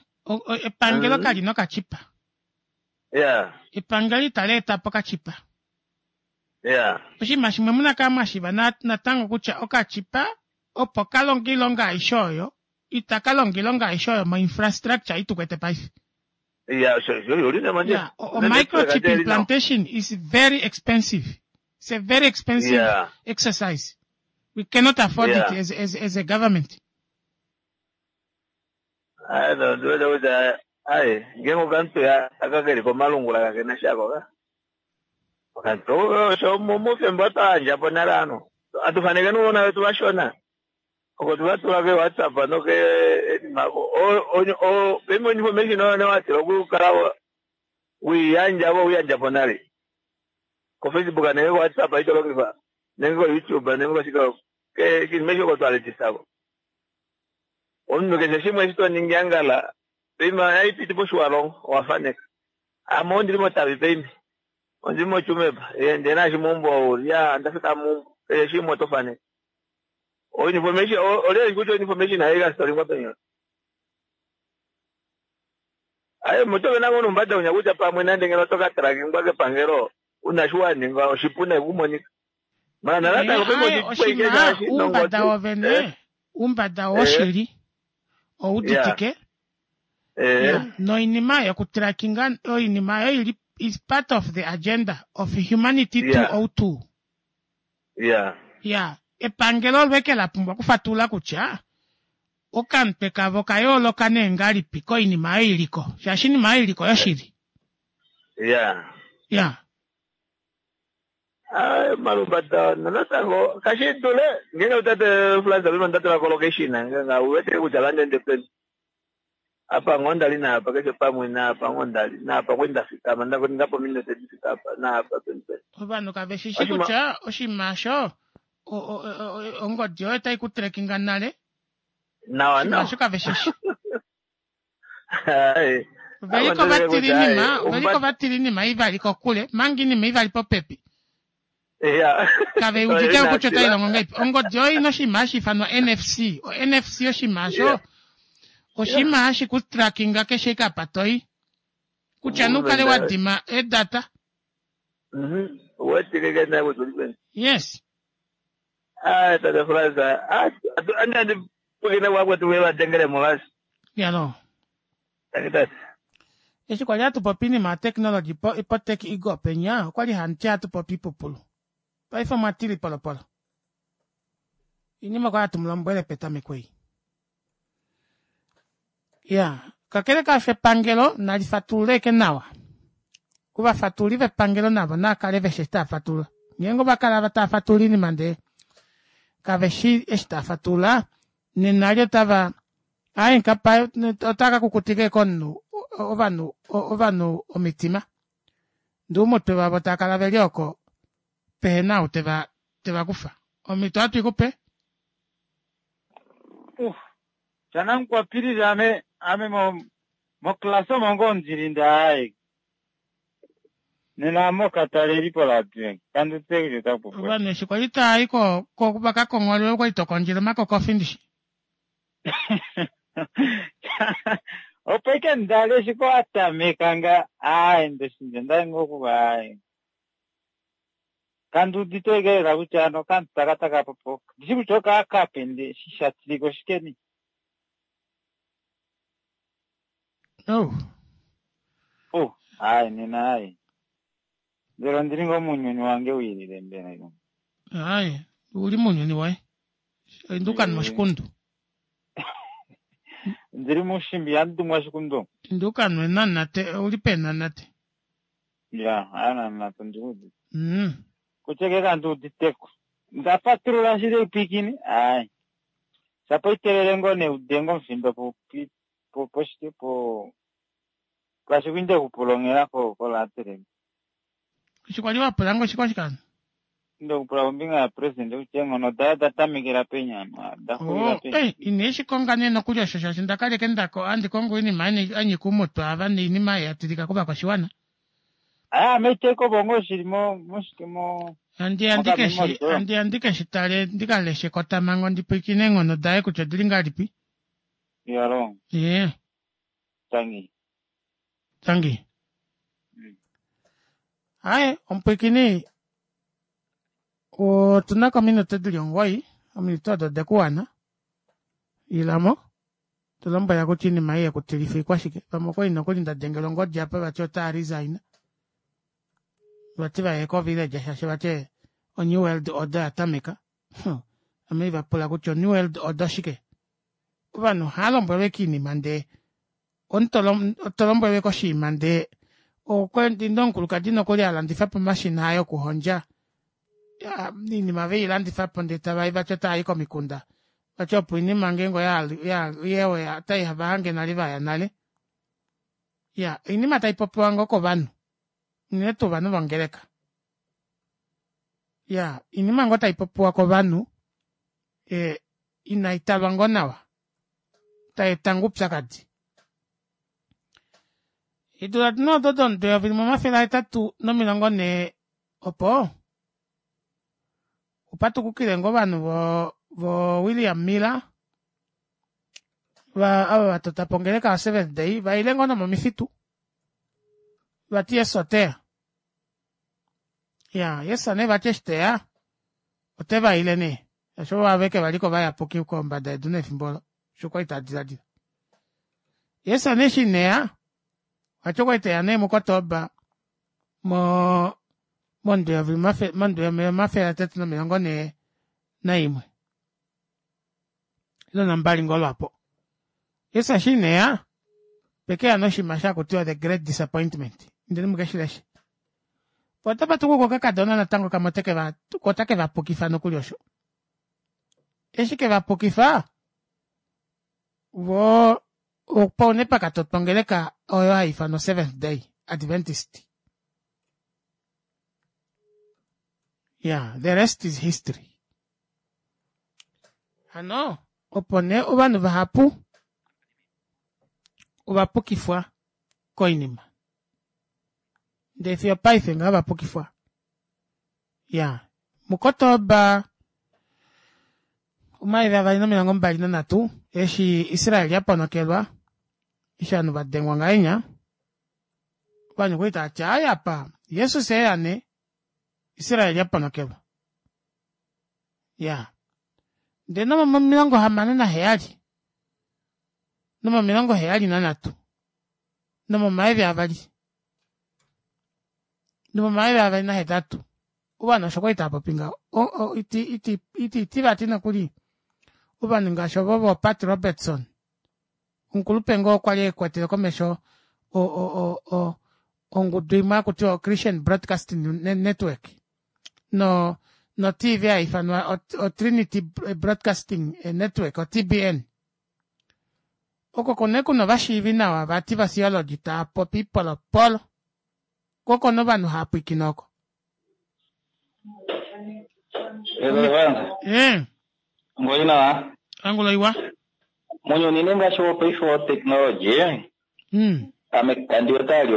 A: epangelo kali nokachipa.
P: Yeah.
A: Epangelo itali eta po okachipa.
P: Yeah.
A: Oshinima shimwe muna kala mwashiva natango kutya okachipa opo kalonga iilonga aishe oyo Ita ka longa oilonga aishe oyo moinfrastructure ei tukwete paife.
P: Ya, osho osho uli nemandjila.
A: Yeah, o microchip implantation is very expensive. It's a very expensive exercise. We cannot afford it as a government.
P: Ai, no, ndiwete kutya ai, ngenge okantu ya aka keli komalungula kakena shako ka. Okantu osho mufemba otwa po nale ano. Atufaneke nuunona wetu vashona. Oko tuvatula ke WhatsApp noke enima o pembe information oyo newatila okukala wiiyandja vo uyandja po nale. Ko Facebook nenge ko WhatsApp ito longifa nenge ko YouTube nenge koshika ke shinima eshi oko twaletisako. Omunhu keshe shimwe eshi to ningi angala peima aipiti poshiwalongo owafaneka. Ame ondili motavi peime. Ondili motsumeba. Ndee naashi meumbo ouli ya ndafika meumbo. Keshe shimwe oto faneke. O information olye kutya information hayi kasitolingwa penyo. Aye moto vena ngono umbada unya kutya pamwe nande ngeno to ka trackingwa kepangelo una shi waninga oshipu nayi kumonika. Mara natango
A: Eh,
P: pembe
A: aye,
P: oshipweke
A: oshinima
P: ngaashi
A: oumbada
P: nongodi.
A: wovene oumbada woshili ouditike noinima yokutrackinga oinima oyo ili is part of the agenda of humanity 202. Ya, epangelo olweke la pumbwa okufatulula kutya okamutwe kavo kayooloka nee ngalipi koinima oyo iliko shaashi inima oyo iliko yoshili. Ya.
P: Ai, malumbada natango kashi dule ngenge utate Frans pema ndatula ko location ngenge uwete kutya landende peni. Apa ngoo ndali naapa keshe pamwe naapa ngoo ndali naapa kwali ndafikama ndapo minute difika apa naapa peni peni.
A: Ovanhu kave shi shi kutya oshinima osho ongodi yoye otai ku trackinga nale.
P: Nawa
A: Oshinima
P: nawa.
A: osho kave shi shi.
P: Ai.
A: Veliko vatila inima, veliko vatila inima ivali kokule, manga inima ivali popepi. Kave udite kutya otai longo ngahelipi. Ongodi oyo ina oshinima hashi ifanwa NFC. O NFC oshinima osho oshinima hashi ku trackinga keshe ike apa toyi. Kutya nukale wa dima edata.
P: Uwetike ke naye kutya uli peni.
A: Yes.
P: Ai, tate Frans, andi pukine kwakwetu vevadengele movasi.
A: Yalo.
P: Tangi tate.
A: Eshi kwali hatu popi inima ya technology po, po tech igo penya, okwali hanti hatu popi ipupulu. Paife omwa tili polopolo. Inima kwali hatu mulombwele petameko ei. Ya, kakele kaasho epangelo nali fatulule eke nawa. Ovafatuli vepangelo navo naa kale veshi eshi tava fatulula. Ngeenge ova kala tava fatulula inima ndee kave shi eshi tava fatulula, nena li otava aye nkapa otava ka kukutika eke omunhu ovanhu ovanhu omitima. Ndee oumutwe vavo tava kala veli oko pehena ou teva teva kufa. Omhito ohatu i kupe.
Q: Shanamukwapilili ame ame mo moklasa omo ngoo ndili ndaaye nena ame okatalelipo latwe kandutse kutya otaku
A: Ovanhu eshi kwali tava i ko ko vakakongholele okwali tokondjele omakokofi ndishi.
Q: Opo ike ndali eshi ko watameka nga aaye ndoshinja ndali ngoo okuva aaye kandiudite ike lela kutya ano okantu taka taka popo ndishi kutya okaakape nde shishatilika oshikeni.
A: Oh.
Q: Oh, aaye nena aaye mbela ondili ngoo muunyuni wange wiilile mbela.
A: Aye, uli muunyuni woye. Induka moshikundu.
Q: Ndili mushimbi yandumwa shikundu.
A: Induka nwe nanate, uli pe nanate.
Q: Ya, ananate ndiudite. Kutya ke kandiuditeko. Ndafatulula shili ipikini, aaye. Shapo itelele ngoo neudengo omufimba po po poshike po kwashi kwinde kupulongela ko kolatele.
A: Eshi kwali wapula ngoo oshikwa
Q: Inde kupula kombinga ya president kutya eenghono daye oda tamekela peni ano da xulila
A: Oh,
Q: peni.
A: eh, ine shi konga nee nokuli osho shaashi ndakaleke ndako andi kongo oinima anyika umutwe ava noinima ya tilika kovakwashiwana.
Q: Aya ame iteko bongo shili mo moshike mo
A: Andi andi keshi
Q: mokamemori koyo.
A: andi andi keshi tale ndikaleshe kotamango ndipwikine eenghono daye kutya odili ngahelipi.
Q: Yalo,
A: Ye,
Q: tangi.
A: tangi. Aye, omupwikini otuna ko ominute dili 9, ominute odo odekuwana. Ilamo. To lombwela kutya iinima ei yekutilifa ikwashike. Vamwe okwali nokuli nda dengela ongodi apa vati otaa resign. Vati vaye ko village shaashi vati o New World Order ya tameka. Ame va pula kutya o New World Order shike? Ovanhu ohava lombwelwa ashike oinima ndee omuntu to lombwelwa koshinima ndee okwendinda omukulukadi nokuli a landifa po omashina aye okuhondja iinima ve i landifa po ndee tava i vati otava i komikunda vati opo oinima ngeenge oya otai va hange nale vaya nale ya oinima tai popiwa ngoo kovanhu unene tuu ovanhu vongeleka ya oinima ngoo tai popiwa kovanhu e, inai talwa ngoo nawa tai eta ngoo oupyakadi Eedula di odo domudo 1840 opo opa tukukile ngoo ovanhu vo vo William Miller va ava va tota po ongeleka yoSeventh Day va ile ngoo nomomifitu vati Jesus oteya. Ya Jesus nee vati eshi teya ote va ile nee shaashi ovo aveke va li ko vayapuki kombada yedu nefimbo olo osho kwali ta diladila. Jesus nee eshi ineya vati okwali teya nee muKotoba mo mondu yomafele atatu nomilongo nhee naimwe ile nambali ngoo lwapo. Jesus eshi ineya pekeya noshinima shakutiwa the great disappointment indeni muke shi leshe. Po otapa tukuka okakadona natango kamwe oteke va otake va pukifa nokuli osho. Eshi ke va pukifa vo opo nee pa ka totwa ongeleka oyo hai ifanwa Seventh Day Adventist. Yeah, the rest is history. Hano opo nee ovanhu vahapu ova pukifwa koinima. Ndee fiyo paife ngaho va pukifwa. Ya, muKotoba 2023 eshi Israel ya ponokelwa, eshi ovanhu va dengwa ngahenya, ovanhu okwa li tava ti ayi apa Jesus eya nee, Israel ya ponokelwa. Ya. Ndele nomo 67 nomo 73 nomomayovi avali nomomayovi avali nahetatu ovanhu osho kwali tava popi ngaho iti iti iti iti vati nokuli ovanhu ngaashi ovo vo Pat Robertson omukulupe ngoo okwa li ekwatele komesho o o o o ongudu imwe hakutiwa Christian Broadcasting Network no no TV hai ifanwa o Trinity Broadcasting Network o TBN oko kone kuna ovashiivi nawa vati vatheology tava popi polopolo ko kone ovanhu hava pwiikine oko.
R: Eh. Ngoli nawa.
A: Angulo iwa.
R: Munyuni ne ngaashi wopaife woteknologi ame kandi wete ali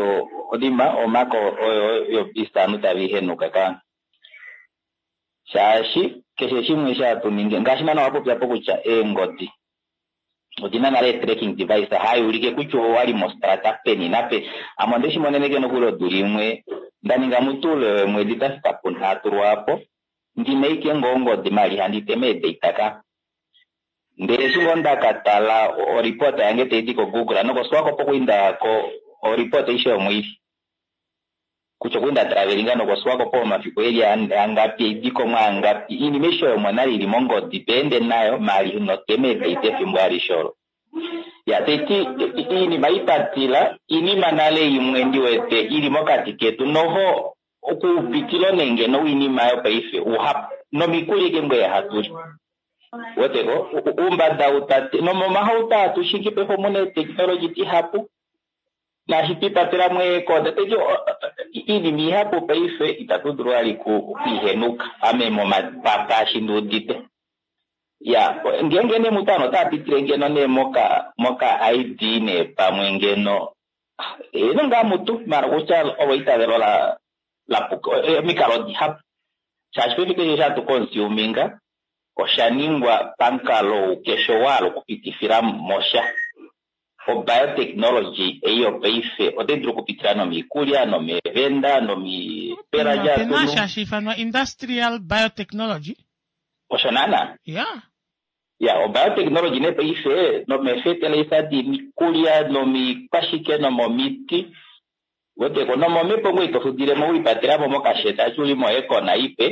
R: odima omako oyo yopisanu tavi henuka ka shaashi keshe shimwe sha tu ningi ngaashi nana wapopya po kutya eengodi odina nale tracking device hai ulike kutya owali mostrata peni nape ame onde shi monene nokuli odula imwe nda ninga mutuule wemwedi da fika punhatu lwaapo ndina ike ngoo ongodi mali handi tema eedata ka ndele eshi ngoo nda ka tala oripota yange tai di koGoogle nokoSwakopo okuinda ko oripota aishe yomwili kutya okuinda travelinga nokoSwakopo omafiku eli angapi eidiko angapi iinima aishe oyo monale ili mongodi peende nayo mali notema eedata efimbo alishe olo ya taiti iinima ipatila iinima nale imwe ndi wete ili mokati ketu noho okupitila nenge noinima yopaife uhapu nomikuli ike ngweye hatuli weteko umbada utate nomomahauto atu shingi paife omuna eteknologi dihapu naashi twipatela mweekoda taiti iinima ihapu paife itatu dulu vali kuihenuka ame momapapa ashi ndiudite ya ngeenge nee mutano ota pitile ngeno nee moka moka ID nee pamwe ngeno eno ngaa mutu mara kutya olo itavelo la lapuka omikalo dihapu shaashi paife keshe shatu consuminga osha ningwa pamukalo keshe wahala okupitifila mosha obiotechnology ei yopaife otai dulu okupitila nomiikulya nomeevenda nomipela
A: Opena sha hashi ifanwa industrial biotechnology.
R: Osho naana.
A: Ya.
R: Ya, obiotechnology nee paife nomeefeteleisa diikulya nomiikwashike nomomiti weteko nomomhepo ngoye ito fudilemo welipatelamo mokasheta eshi uli mo aircon ipe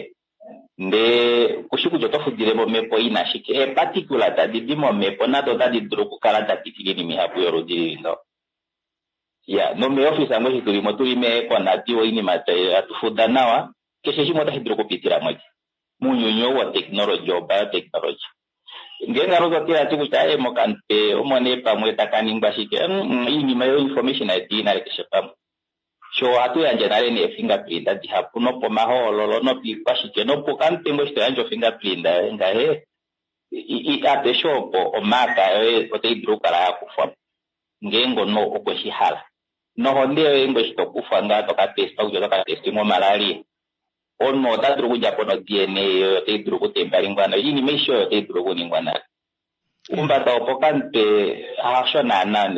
R: ndee kushi kutya oto fudilemo omhepo ina shike. Eeparticula tadi di momhepo nado otadi dulu okukala da pitila oinima ihapu yoludi lili ngaho. Ya, nomeeofisa ngoo eshi tulimo tuli mee-aircon diwa oinima hatu fuda nawa keshe shimwe otashi dulu okupitila mo mounyuni ou wotechnology, wobiotechnology. Ngeenge hano otwa tila kutya aaye mokamutwe omo nee pamwe taka ningwa shike, oinima yo information yetu ii nale keshe pamwe. Sho ohatu yandje nale nee fingerprint dihapu nopomahoololo nopiikwashike nopokamutwe ngoo eshi to yandje ofingerprint yoye ngahe apeshe opo omaaka yoye otai dulu okukala ya kufwa po ngeenge omunhu okwe shi hala. Nohonde yoye ngoo eshi to kufwa ngaa to ka testwa kutya oto ka testingwa omalaria omunhu ota dulu okudja po no-DNA yoye otai dulu okutempalingwa nayo. Oinima aishe oyo otai dulu okuningwa nale. Oumbada wopokamutwe hasho naana.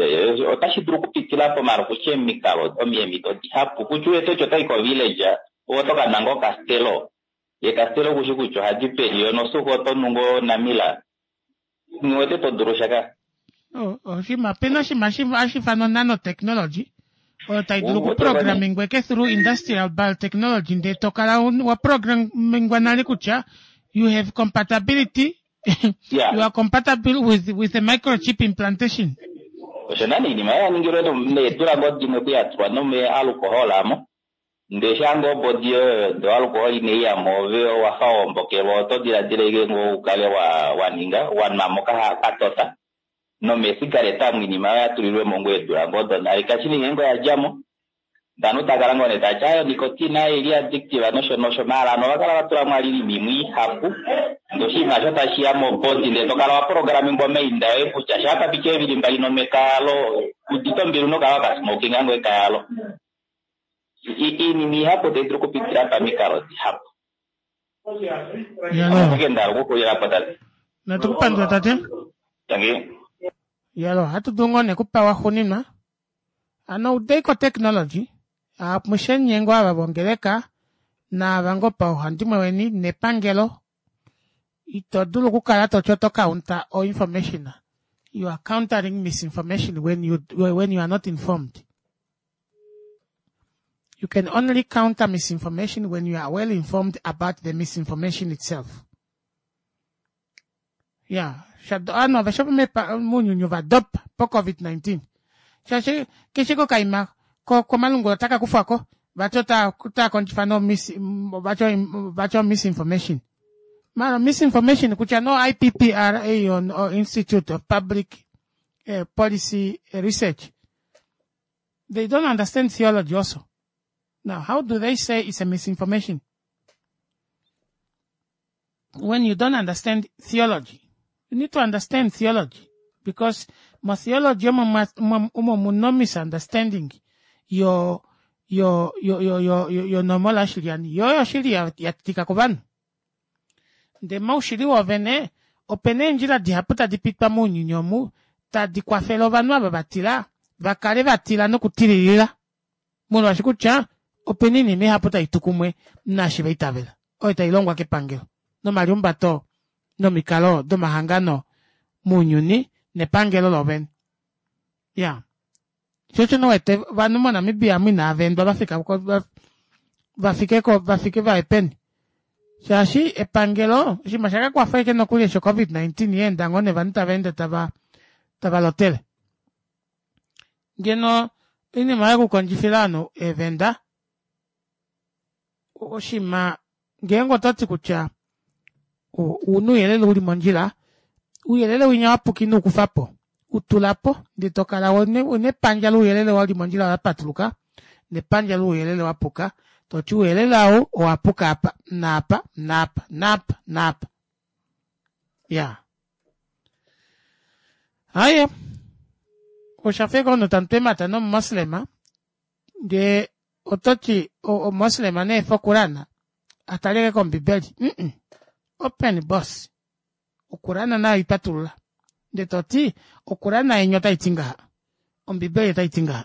R: Otashi dulu okupitila pomalo kutya emikalo, omiemito dihapu. Kutya uwete kutya otai kovillage, ove oto ka nwa ngoo Castello. Ye Castello kushi kutya ohadi peni, yo nosuuka oto nu ngoo Namila. Nghi wete to dulu sha ka.
A: Oshinima, opena oshinima hashi ifanwa nanotechnology oyo tai dulu okuprogramingwa eke through industrial biotechnology ndee to kala wa programmingwa nale kutya you have compatibility yeah. you are compatible with, with a microchip implantation
R: osho nani iinima ya ningilwe needula ngoo dimwe kuyatulwa nome alcohol amo Ndee shaa ngoo obodi yoye oyo ndee oalkoholi inai ya mo ove owa fa wa ombokelwa oto diladila ashike ngoo u kale wa wa ninga wa nwa mo katota nomeesigareta omu iinima oyo ya tulilwe mo ngoo eedula ngoo donale kashi nee ngeenge oya dja mo ndee ovanhu tava kala ngoo nee tava ti aaye onicotine aaye oili addictive nosho nosho maala ovanhu ova kala va tula mo iinima imwe ihapu ndee oshinima osho tashi ya mobodi ndee to kala wa programmingwa omainda oye kutya shaa pa piti eevili mbali nomeka alo udite ombili unokukala waka smokinga ngoo ekaya alo. Iinima ihapu otayi dulu okupitila pamikalo dihapu. Ashike nda hala okuxulila po tate.
A: Natu ku pandula tate.
R: Tangi.
A: Yalo, ohatu dulu ngoo nee kupewa xuninwa. Ano udeiko technology, amushe nye ngoo ava vongeleka naava ngoo pauhandimwe weni nepangelo ito dulu okukala to ti oto counter o information. You are countering misinformation when you, when you are not informed. You can only counter misinformation when you are well informed about the misinformation itself. Ya, shado ovanhu aveshe mounyuni ova dopa po COVID-19. Shaashi keshe kokaima komalungula otaka kufwa ko vati otaa kondjifa no mis, vati vati misinformation. Mara misinformation kutya no IPPRA o Institute of Public eh, Policy Research They don't understand theology also. Now, how do they say it's a misinformation? When you don't understand theology, you need to understand theology because motheology omo mu misunderstanding yo yo yo yo yo yo normal ashili yani yo yoshili ya, ya tika kovanhu Ndee moushili woovene, ope na eendjila dihapu tadi pitwa mounyuni omu tadi kwafele ovanhu ava va tila va kale va tila nokutililila, molwaashi kutya ope na oinima ihapu tai tu kumwe naashi va itavela, oyo tai longwa kepangelo nomaliumbato nomikalo domahangano mounyuni nepangelo loovene. Ya. Sho osho wete ovanhu moNamibia omu inava endwa va fika ko va fike ko va fike va ye peni shaashi epangelo oshinima sha ka kwafa ashike nokuli eshi covid 19 ya enda ngoo nevanhu tava ende tava tava lotele ngeno oinima yokukondjifila ovanhu eevenda oshinima ngeenge oto ti kutya ouna ouyelele uli mondjila, ouyelele winya wa puka ino u kufa po, u tula po ndele to kala una epandja louyelele wa li mondjila la patuluka nepandja louyelele wa puka, to ti ouyelele ou owa puka apa naapa naapa naapa naapa. Ya. Haye. Osha fa omunhu tamu tu eemhata nomumoslema ndee oto ti omoslema ne efe okulana a taleke kombibeli mm open boss okulana nayo ipatulula nde to ti okulana yenya otai ti ngaha ombibeli otai ti ngaha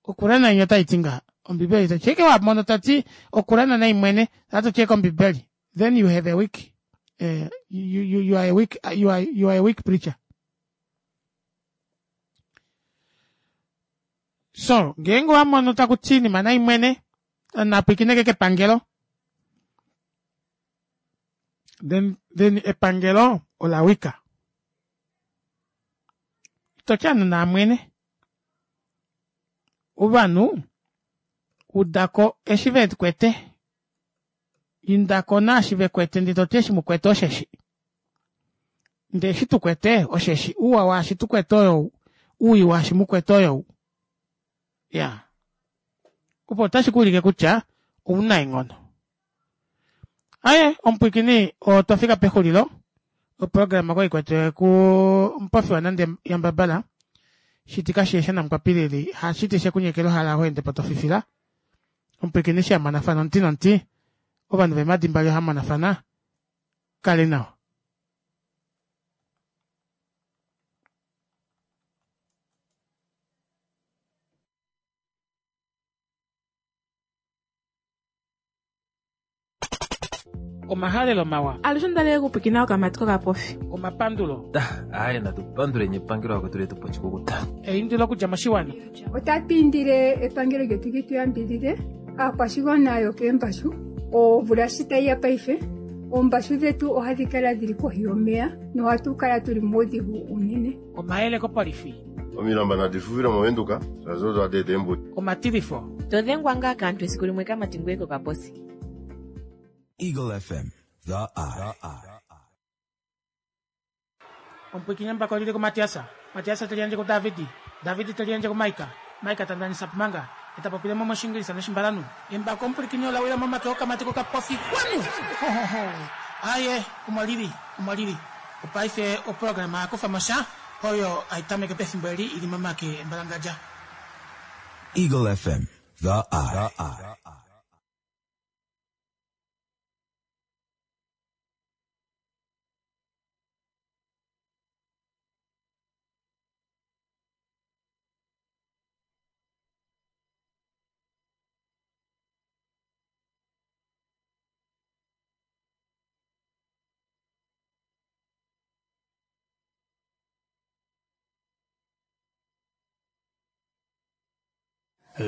A: okulana yenya otai ti ngaha ombibeli otai ti wa mono ta ti okulana nai mwene atu tye kombibeli then you have a weak Eh, you, you, you are a weak, you are, you are a weak preacher. So, ngeenge owa mono taku ti iinima nai mwene, napwikineke kepangelo, then, then epangelo ola wika. Ito ti anu naamwene. Ovanhu, udako eshi ve kwete. Indako naashi ve kwete ndee to ti eshi mu kwete osheshi. Ndee eshi tu kwete osheshi. Ouwa waashi tu kwete oyou. Owii waashi mu kwete oyou. Ya. Opo otashi ku ulike kutya ouna eenghono. Aye, omupwiikini otwa fika pexulilo. Oprograma okwali kwetwe ku Mupofi waNande Yambabala. Shiti kashi esha namukwapilili hashiti shekunyekela ohala ho ende po to fifila. Omupwiikini eshi amonafana omuti nomuti, ovanhu veemhadi mbali ohamonafana. Kale nawa. Omahalelo mawa.
B: Alushe onda li okupwikina okamati kokapofi.
A: Omapandulo.
C: Aye natu panduleni epangelo akwetu letu po oshikukuta.
A: Eindilo okudja moshiwana.
D: Otatu indile epangelo lyetu li tu yambidhidhe aakwashigwana yokeembashu omvula shi tayi ya paife oombashu dhetu ohadhi kala dhili kohi yomeya nohatu kala tuli muudhigu uunene.
A: Omayele kopolifi.
E: Omilamba nadi fufile mOvenduka, shaashi odo hadi eta eembuto.
A: Omatilifo.
F: To dhengwa ngaa kaantu esiku limwe kamati ngoye kokaposi.
G: Eagle FM, the eye.
A: Omupwiikini embako olili kuMatias, Matias te liyandje kuDavid, David te liyandje kuMaika, Maika ta ndanisa Pumanga, e ta popile mo mOshiingilisa nOshimbalanhu. Embako omupwilikini ola wila momake okamati kokapofi kwanu! Ho, ho, ho! Aaye, omo lili, omo lili. Opaife oprograma ya kufa mo sha, oyo hai tameke pefimbo eli i li momake embalangadja.
G: Eagle FM, the eye.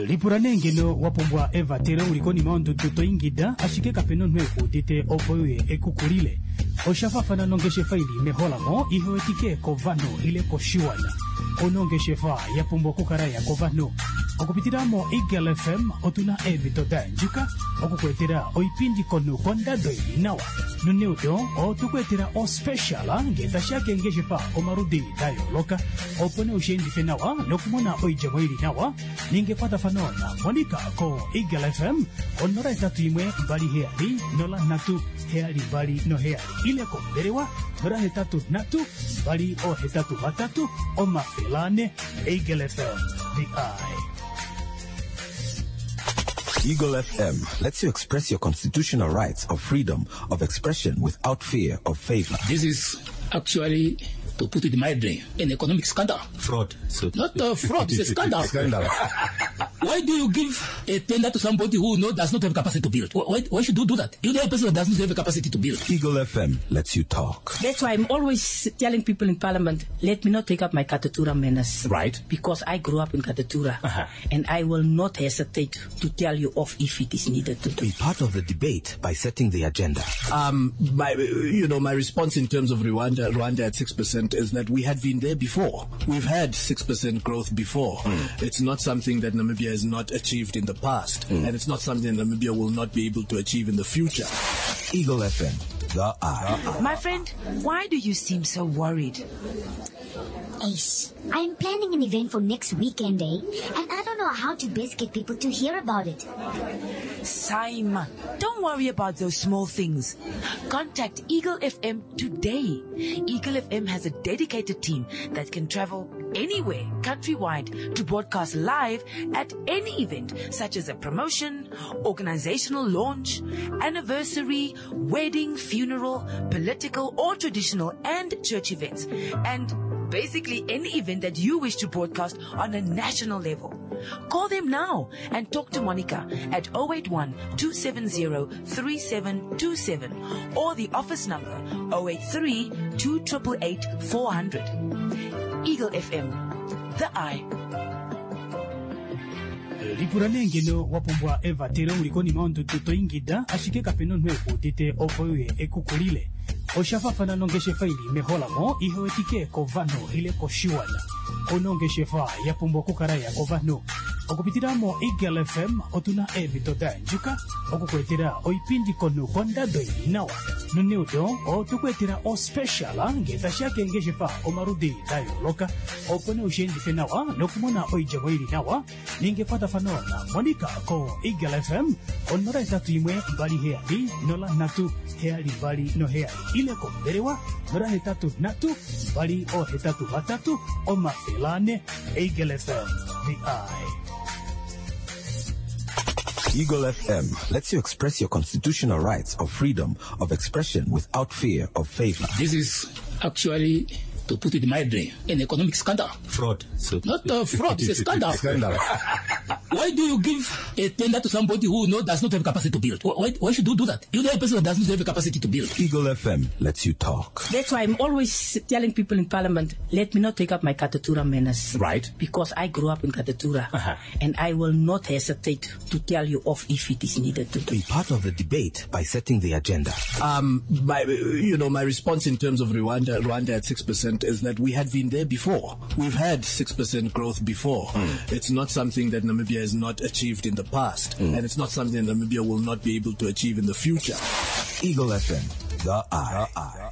N: Lipula nee ngeno wa pumbwa evatelo u li konima yondudu to ingida ashike kape na omunhu e ku udite opo e uye e ku kulile. Osha faafana nongeshefa i li meholamo ihe wetike kovanhu ile koshiwana. Ou na ongeshefa ya pumbwa okukala ya kovanhu. Okupitila moEagle FM otu na eemhito da yandjuka oku ku etela oipindi komunhu kondado i li nawa. Noneudo otwe ku etela ospecial ngee tashi ya keengeshefa omaludi da yooloka opo nee u shi endife nawa nokumona oidjemo i li nawa. Ninga ekwatafano na Monica ko Eagle FM ko 081 27 03 727 ile kombelewa 083 283 400. Eagle FM, the eye.
G: Eagle FM lets you express your constitutional rights of freedom of expression without fear of favor.
H: This is actually, to put it mildly, an economic scandal.
G: Fraud. So
H: Not a fraud, it's a scandal.
G: Scandal.
H: Why do you give a tender to somebody who does not have capacity to build? Why should you do that? You know a person that does not have a capacity to build.
G: Eagle FM lets you talk.
J: That's why I'm always telling people in Parliament, let me not take up my Katutura manners.
C: Right.
J: Because I grew up in Katutura. And I will not hesitate to tell you off if it is needed to do.
G: Be part of the debate by setting the agenda.
I: My response in terms of Rwanda at 6% is that we had been there before. We've had 6% growth before. It's not something that Namibia has not achieved in the past, and it's not something that Namibia will not be able to achieve in the future.
G: Eagle FM, the eye.
K: My friend, why do you seem so worried?
L: Ace, I'm planning an event for next weekend, And I don't know how to best get people to hear about it.
K: Saima, don't worry about those small things. Contact Eagle FM today. Eagle FM has a dedicated team that can travel anywhere countrywide to broadcast live at any event, such as a promotion, organizational launch, anniversary, wedding, funeral, political or traditional and church events. And Basically, any event that you wish to broadcast on a national level. Call them now and talk to Monica at 081 270 3727 or the office number 083 288 400. Eagle FM, the eye.
N: Lipula nee ngeno wa pumbwa evatelo uli konima yondudu to ingida ashike kape na omunhu e ku udite opo e uye e ku kulile. Osha faafana nongeshefa i li meholamo i hewetike kovanhu ile koshiwana. Ouna ongeshefa ya pumbwa okukala ya kovanhu. Okupitila moEagle FM otu na eemhito da yandjuka oku ku etela oipindi komunhu kondado i li nawa. Noneudo otwe ku etela ospecial ngee tashi ya keengeshefa omaludi da yooloka opo nee ushi endife nawa nokumona oidjemo i li nawa. Ninga ekwatafano na Monica ko Eagle FM ko 081 270 0372 ile kombelewa 083 283 400. Eagle FM, the eye.
G: Eagle FM lets you express your constitutional rights of freedom of expression without fear of favor.
H: This is actually, to put it mildly, an economic scandal.
S: Fraud. So
H: Not a fraud, it's a scandal.
S: Scandal.
H: Why do you give a tender to somebody who does not have capacity to build? Why should you do that? You know a person that does not have capacity to build.
G: Eagle FM lets you talk.
J: That's why I'm always telling people in Parliament, let me not take up my Katutura manners.
S: Right.
J: Because I grew up in Katutura. And I will not hesitate to tell you off if it is needed to.
G: Be part of the debate by setting the agenda.
I: My response in terms of Rwanda at 6% is that we had been there before. We've had 6% growth before. It's not something that Namibia has not achieved in the past, and it's not something that Namibia will not be able to achieve in the future.
G: Eagle FM, the eye.